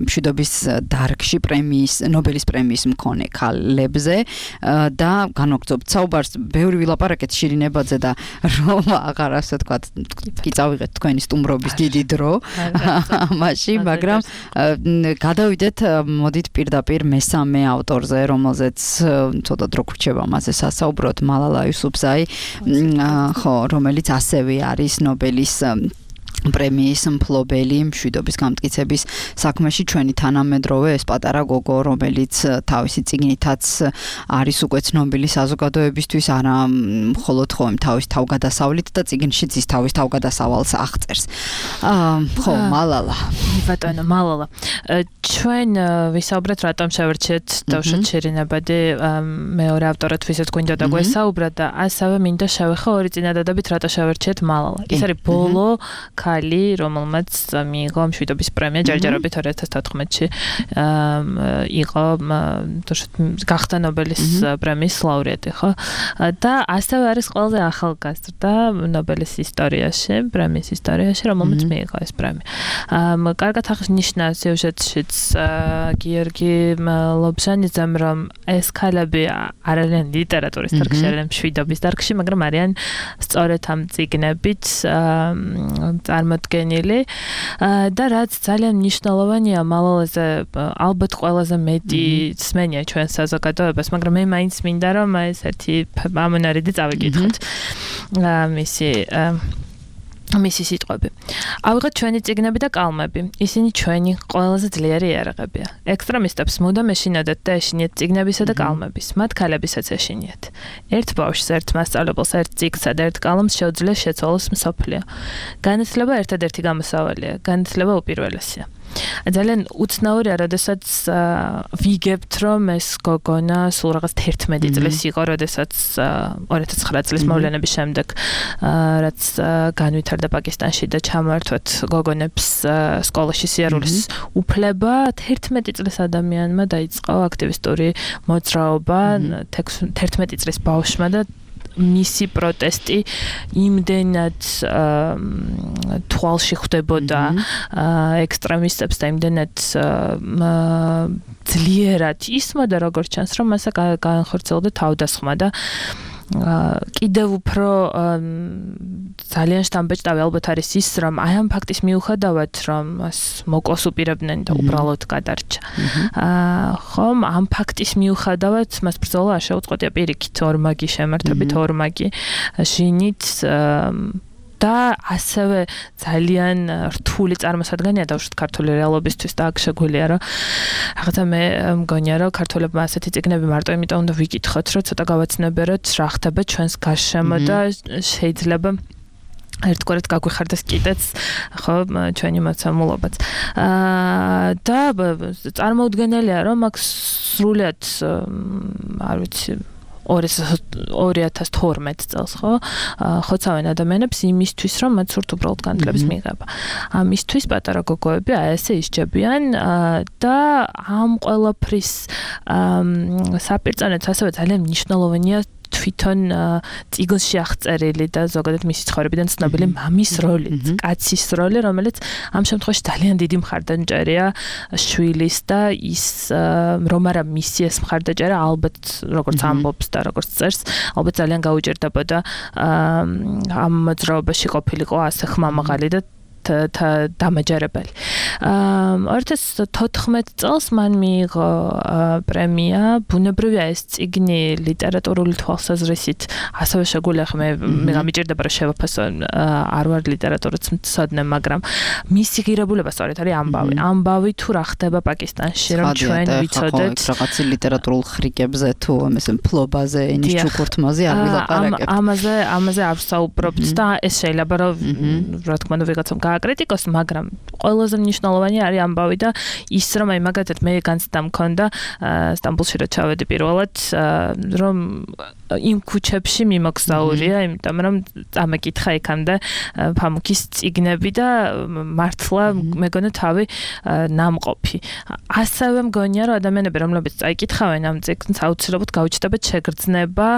მშვიდობის დარგში პრემიის, ნობელის პრემიის მქონე ქალებზე და განვაგრძობთ საუბარს, ბევრი ვილაპარაკეთ შირინებაძე და რომ აღარ ასე თქვა, კი წავიღეთ თქვენი სტუმრობის დიდი დრო ამაში, მაგრამ გადავიდეთ, მოდით პირდაპირ მესამე ავტორზე, რომელზეც ცოტა დრო გვრჩება მასზე სასაუბროთ, მალალა იუსუფზაი, ხო, რომელიც ასევე არის ნობელის პრემიის მფლობელი მშვიდობის გამტკიცების საქმეში. ჩვენი თანამედროვე ეს პატარა გოგო, რომელიც თავისი წიგნითაც არის უკვე ცნობილი საზოგადოებისთვის, არა მხოლოდ ხო თავის თავგადასავლით და წიგნშიც ის თავის თავგადასავალს აღწერს. ხო, მალალა. ბატონო, მალალა. ჩვენ ვისაუბრეთ, რატომ შევერჩეთ დავშოთ შირინებადი მეორე ავტორად, ვისაც გვინდა და გვესაუბრა და ასევე მინდა შევეხო ორი წინადადებით, რატო შევერჩეთ მალალა. ის არის ბოლო ქალი, რომელმაც მიიღო მშვიდობის პრემია ჯერჯერობით ორი ათას თოთხმეტში იყო გახდა ნობელის პრემიის ლაურეატი, ხო? და ასევე არის ყველაზე ახალგაზრდა ნობელის ისტორიაში, პრემიის ისტორიაში, რომელმაც მიიღო ეს პრემია. კარგად აღნიშნა სიუჟეტშიც გიორგი ლობჟანიძემ, რომ ეს ქალები არ არიან ლიტერატურის დარგში, არიან მშვიდობის დარგში, მაგრამ არიან სწორედ ამ წიგნებით წარმოდგენილი და რაც ძალიან მნიშვნელოვანია მალალაზე, ალბათ ყველაზე მეტი სმენია ჩვენ საზოგადოებას, მაგრამ მე მაინც მინდა რომ ეს ერთი ამონარიდი წავიკითხოთ მისი მისი სიტყვები. ავიღოთ ჩვენი წიგნები და კალმები. ისინი ჩვენი ყველაზე ძლიერი იარაღებია. ექსტრემისტებს მუდამ ეშინოდეთ და ეშინიათ წიგნებისა და კალმების. მათ ქალებისაც ეშინიათ. ერთ ბავშვს, ერთ მასწავლებელს, ერთ წიგნსა და ერთ კალამს შეუძლია შეცვალოს მსოფლიო. განათლება ერთადერთი გამოსავალია. განათლება უპირველესია. ძალიან უცნაურია, როდესაც ვიგებთ, რომ ეს გოგონა სულ რაღაც თერთმეტი წლის იყო, როდესაც ორი ათას ცხრა წლის მოვლენების შემდეგ, რაც განვითარდა პაკისტანში და ჩამართვეთ გოგონებს სკოლაში სიარულის უფლება, თერთმეტი წლის ადამიანმა დაიწყო აქტივისტური მოძრაობა, თერთმეტი წლის ბავშვმა და მისი პროტესტი იმდენად თვალში ხვდებოდა ექსტრემისტებს და იმდენად ძლიერად ისმოდა, როგორც ჩანს, რომ მასა განხორციელდა თავდასხმა და კიდევ უფრო ძალიან შთამბეჭდავი ალბათ არის ის, რომ აი ამ ფაქტის მიუხედავად, რომ მას მოკლას უპირებდნენ და უბრალოდ გადარჩა. ხომ, ამ ფაქტის მიუხედავად მას ბრძოლა არ შეუწყვეტია პირიქით ორმაგი შემართებით, ორმაგი შინით და ასევე ძალიან რთული წარმოსადგენია დავუშვათ ქართული რეალობისთვის და აქ შეგვიძლია რომ რაღაცა მე მგონია რომ ქართველებმა ასეთი წიგნები მარტო იმიტომ უნდა ვიკითხოთ, რომ ცოტა გავაცნობიეროთ რა ხდება ჩვენს გარშემო და შეიძლება ერთგვარად გაგვიხარდეს კიდეც ხო ჩვენი მოცემულობაც. და წარმოუდგენელია რომ აქ სრულიად არ ვიცი ორი ათას თორმეტ წელს ხო ხოცავენ ადამიანებს იმისთვის რომ მათ სურთ უბრალოდ განათლების მიღება. ამისთვის პატარა გოგოები აი ესე ისჯებიან და ამ ყველაფრის საპირწანეც ასევე ძალიან მნიშვნელოვანია თვითონ წიგნში აღწერილი და ზოგადად მისი ცხოვრებიდან ცნობილი მამის როლი, კაცის როლი, რომელიც ამ შემთხვევაში ძალიან დიდი მხარდაჭერია შვილის და ის რომ არა მისი ეს მხარდაჭერა ალბათ როგორც ამბობს და როგორც წერს, ალბათ ძალიან გაუჭირდებოდა ამ მოძრაობაში ყოფილიყო ასე ხმამაღალი და დამაჯერებელი. ორი ათას თოთხმეტ წელს მან მიიღო პრემია. ბუნებრივია ეს წიგნი ლიტერატურული თვალსაზრისით ასევე შეგვიძლია მე მე გამიჭირდება რომ შევაფასო არ ვარ ლიტერატურის მცოდნე, მაგრამ მისი ღირებულება სწორედ არის ამბავი. ამბავი თუ რა ხდება პაკისტანში, რომ ჩვენ ვიცოდეთ რაღაცი ლიტერატურულ ხრიკებზე თუ ამას ფლობაზე, ენის ჩუქურთმაზე არ ვილაპარაკებთ. ამაზე ამაზე არ ვსაუბრობთ და ეს შეიძლება რომ რა თქმა უნდა ვიღაცამ გააკრიტიკოს, მაგრამ ყველაზე მნიშვნელოვანი არის ამბავი და ის რომ აი მაგათად მე განცდა მქონდა სტამბოლში რა ჩავედი პირველად რომ იმ ქუჩებში მიმოგზაურია, იმიტომ რომ წამეკითხა იქამდე ფამუქის წიგნები და მართლა მეგონა თავი ნამყოფი. ასევე მგონია რომ ადამიანები რომლებიც წაიკითხავენ ამ წიგნს აუცილებლად გაუჩნდებათ შეგრძნება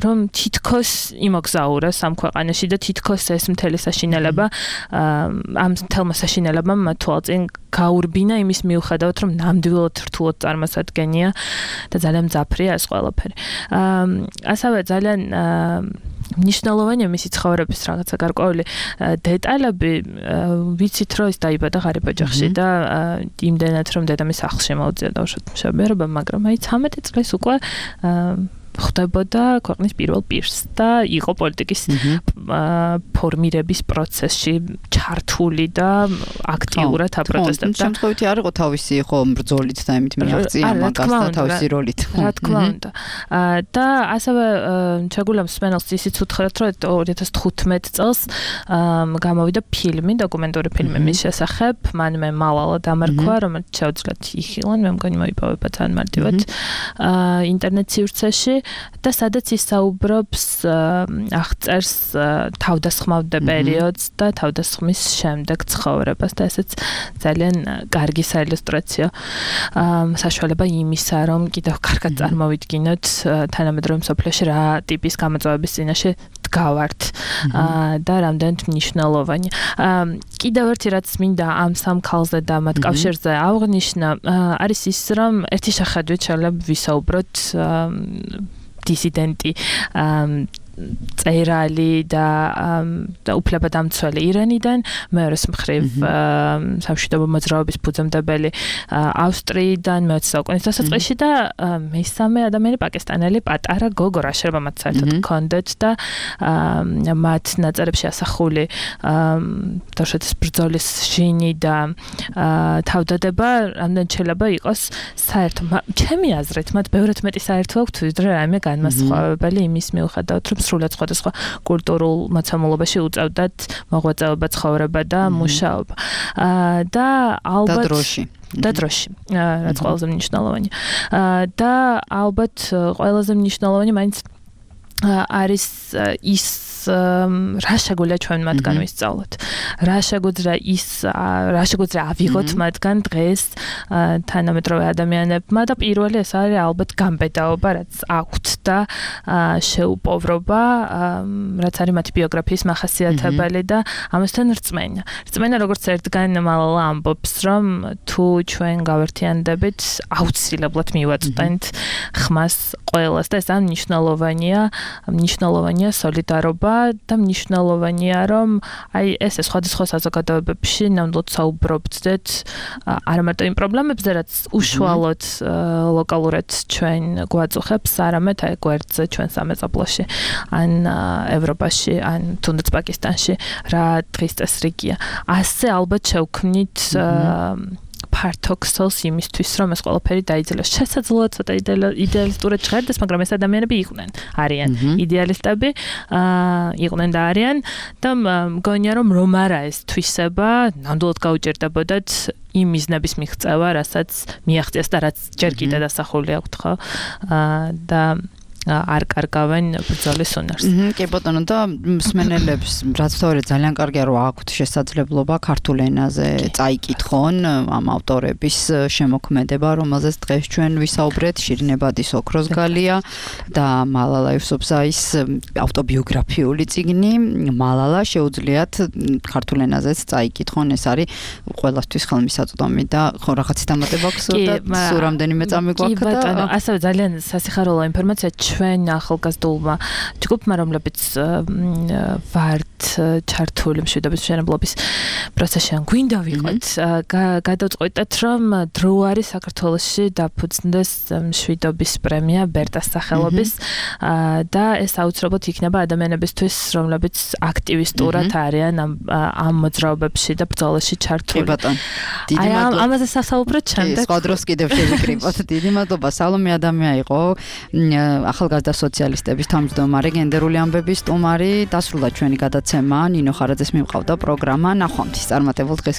რომ თითქოს იმოგზაურა სამ ქვეყანაში და თითქოს ეს მთელი საშინელება ამ მთელმა საშინელებამ თვალწინ გაურბინა იმის მიუხედავად რომ ნამდვილად რთულად წარმოსადგენია და ძალიან მძაფრია ეს ყველაფერი. ასევე ძალიან მნიშვნელოვანია მისი ცხოვრების რაღაცა გარკვეული დეტალები. ვიცით რომ ის დაიბადა ღარიბ ოჯახში და იმდენად რომ დედამის სახლში მოუწია დაუშვათ მშობლიერობა, მაგრამ აი ცამეტი წლის უკვე ხდებოდა ქვეყნის პირველ პირს და იყო პოლიტიკის ფორმირების პროცესში ჩართული და აქტიურად აპროტესტებდა. შემთხვევითი არ იყო თავისი ხო ბრძოლით და იმით მიაღწია მაგას და თავისი როლით. რა თქმა უნდა. და ასევე შეგვიძლია მსმენელს ისიც უთხრათ, რომ ორი ათას თხუთმეტ წელს გამოვიდა ფილმი, დოკუმენტური ფილმი მის შესახებ, მანვე მალალა დამარქვა, რომელიც შეუძლიათ იხილონ, მე მგონი მოიპოვება ძალიან მარტივად ინტერნეტ სივრცეში. და სადაც ის საუბრობს აღწერს თავდასხმავდა პერიოდს და თავდასხმის შემდეგ ცხოვრებას და ესეც ძალიან კარგი საილუსტრაციო საშუალება იმისა, რომ კიდევ კარგად წარმოვიდგინოთ თანამედროვე მსოფლიოში რა ტიპის გამოწვევების წინაშე დგავართ და რამდენად მნიშვნელოვანია. კიდევ ერთი რაც მინდა ამ სამ ქალზე და მათ კავშირზე აღვნიშნა არის ის, რომ ერთი შეხედვით შეიძლება ვისაუბროთ დისიდენტი წერალი და და უფლებადამცველი ირანიდან, მეორეს მხრივ სამშვიდობო მოძრაობის ფუძემდებელი ავსტრიიდან მეოცე საუკუნის დასაწყისში და მესამე ადამიანი პაკისტანელი პატარა გოგო, რა შეიძლება მათ საერთოდ ჰქონდეთ და მათ ნაწერებში ასახული დაშეთის ბრძოლის შინი და თავდადება რამდენად შეიძლება იყოს საერთო. ჩემი აზრით მათ ბევრად მეტი საერთო აქვთ ვიდრე რაიმე განმასხვავებელი იმის მიუხედავად, რომ სრულად სხვადასხვა კულტურულ მოცემულობაში უწევდათ მოღვაწეობა, ცხოვრება და მუშაობა. და ალბათ და დროში. და დროში, რაც ყველაზე მნიშვნელოვანია. და ალბათ ყველაზე მნიშვნელოვანი მაინც არის ის რა შეგვიძლია ჩვენ მათგან ვისწავლოთ. რა შეგვიძლია ის რა შეგვიძლია ავიღოთ მათგან დღეს თანამედროვე ადამიანებმა და პირველი ეს არის ალბათ გამბედაობა, რაც აქვთ და შეუპოვრობა, რაც არის მათი ბიოგრაფიის მახასიათებელი და ამასთან რწმენა. რწმენა როგორც ერთგან მალალა ამბობს, რომ თუ ჩვენ გავერთიანდებით, აუცილებლად მივაწვდენთ ხმას ყველას და ეს ამ მნიშვნელოვანია, მნიშვნელოვანია სოლიდარობა და მნიშვნელოვანია, რომ აი ესე სხვადასხვა საზოგადოებებში ნამდვილად საუბრობდეთ არა მარტო იმ პრობლემებზე, რაც უშუალოდ ლოკალურად ჩვენ გვაწუხებს, არამედ აი გვერდზე ჩვენ სამეზობლოში, ან ევროპაში, ან თუნდაც პაკისტანში რა დღის წესრიგია. ასე ალბათ შევქმნით ფართოქსელს იმისთვის, რომ ეს ყველაფერი დაიძელოს. შესაძლოა ცოტა იდეალისტურად ჟღერდეს, მაგრამ ეს ადამიანები იყვნენ, არიან იდეალისტები, იყვნენ და არიან და მგონია, რომ რომ არა ეს თვისება, ნამდვილად გაუჭირდებოდათ იმ მიზნების მიღწევა, რასაც მიაღწიეს და რაც ჯერ კიდევ დასახული აქვთ, ხო? და არ კარგავენ ბრძოლის უნარს. კი ბატონო, და მსმენელებს რაც თორე ძალიან კარგია რომ აქვთ შესაძლებლობა ქართულ ენაზე წაიკითხონ ამ ავტორების შემოქმედება, რომელზეც დღეს ჩვენ ვისაუბრეთ, შირინებადის ოქროს გალია და მალალა იუსუფზაის ავტობიოგრაფიული წიგნი მალალა შეუძლიათ ქართულ ენაზეც წაიკითხონ, ეს არის ყველასთვის ხელმისაწვდომი და ხო რაღაცის დამატება აქვს და სულ რამდენიმე წამი გვაქვს და კი ბატონო, ასევე ძალიან სასიხარულო ინფორმაცია ჩვენ ახალგაზრდულმა ჯგუფმა, რომლებიც ვართ ჩართული მშვიდობის მშენებლობის პროცესში, ან გვინდა ვიყოთ, გადავწყვეტეთ, რომ დრო არის საქართველოში დაფუძნდეს მშვიდობის პრემია ბერტას სახელობის და ეს აუცილებლად იქნება ადამიანებისთვის, რომლებიც აქტივისტურად არიან ამ მოძრაობებში და ბრძოლაში ჩართული. კი ბატონო. დიდი მადლობა. ამაზე სასაუბროთ შემდეგ. სხვა დროს კიდევ შევიკრიბოთ. დიდი მადლობა. სალომე ადამია იყო ახალგაზრდა სოციალისტების თავმჯდომარე, გენდერული ამბების სტუმარი. დასრულდა ჩვენი გადაცემა. ნინო ხარაძეს მიმყავდა პროგრამა. ნახვამდის წარმატებულ დღეს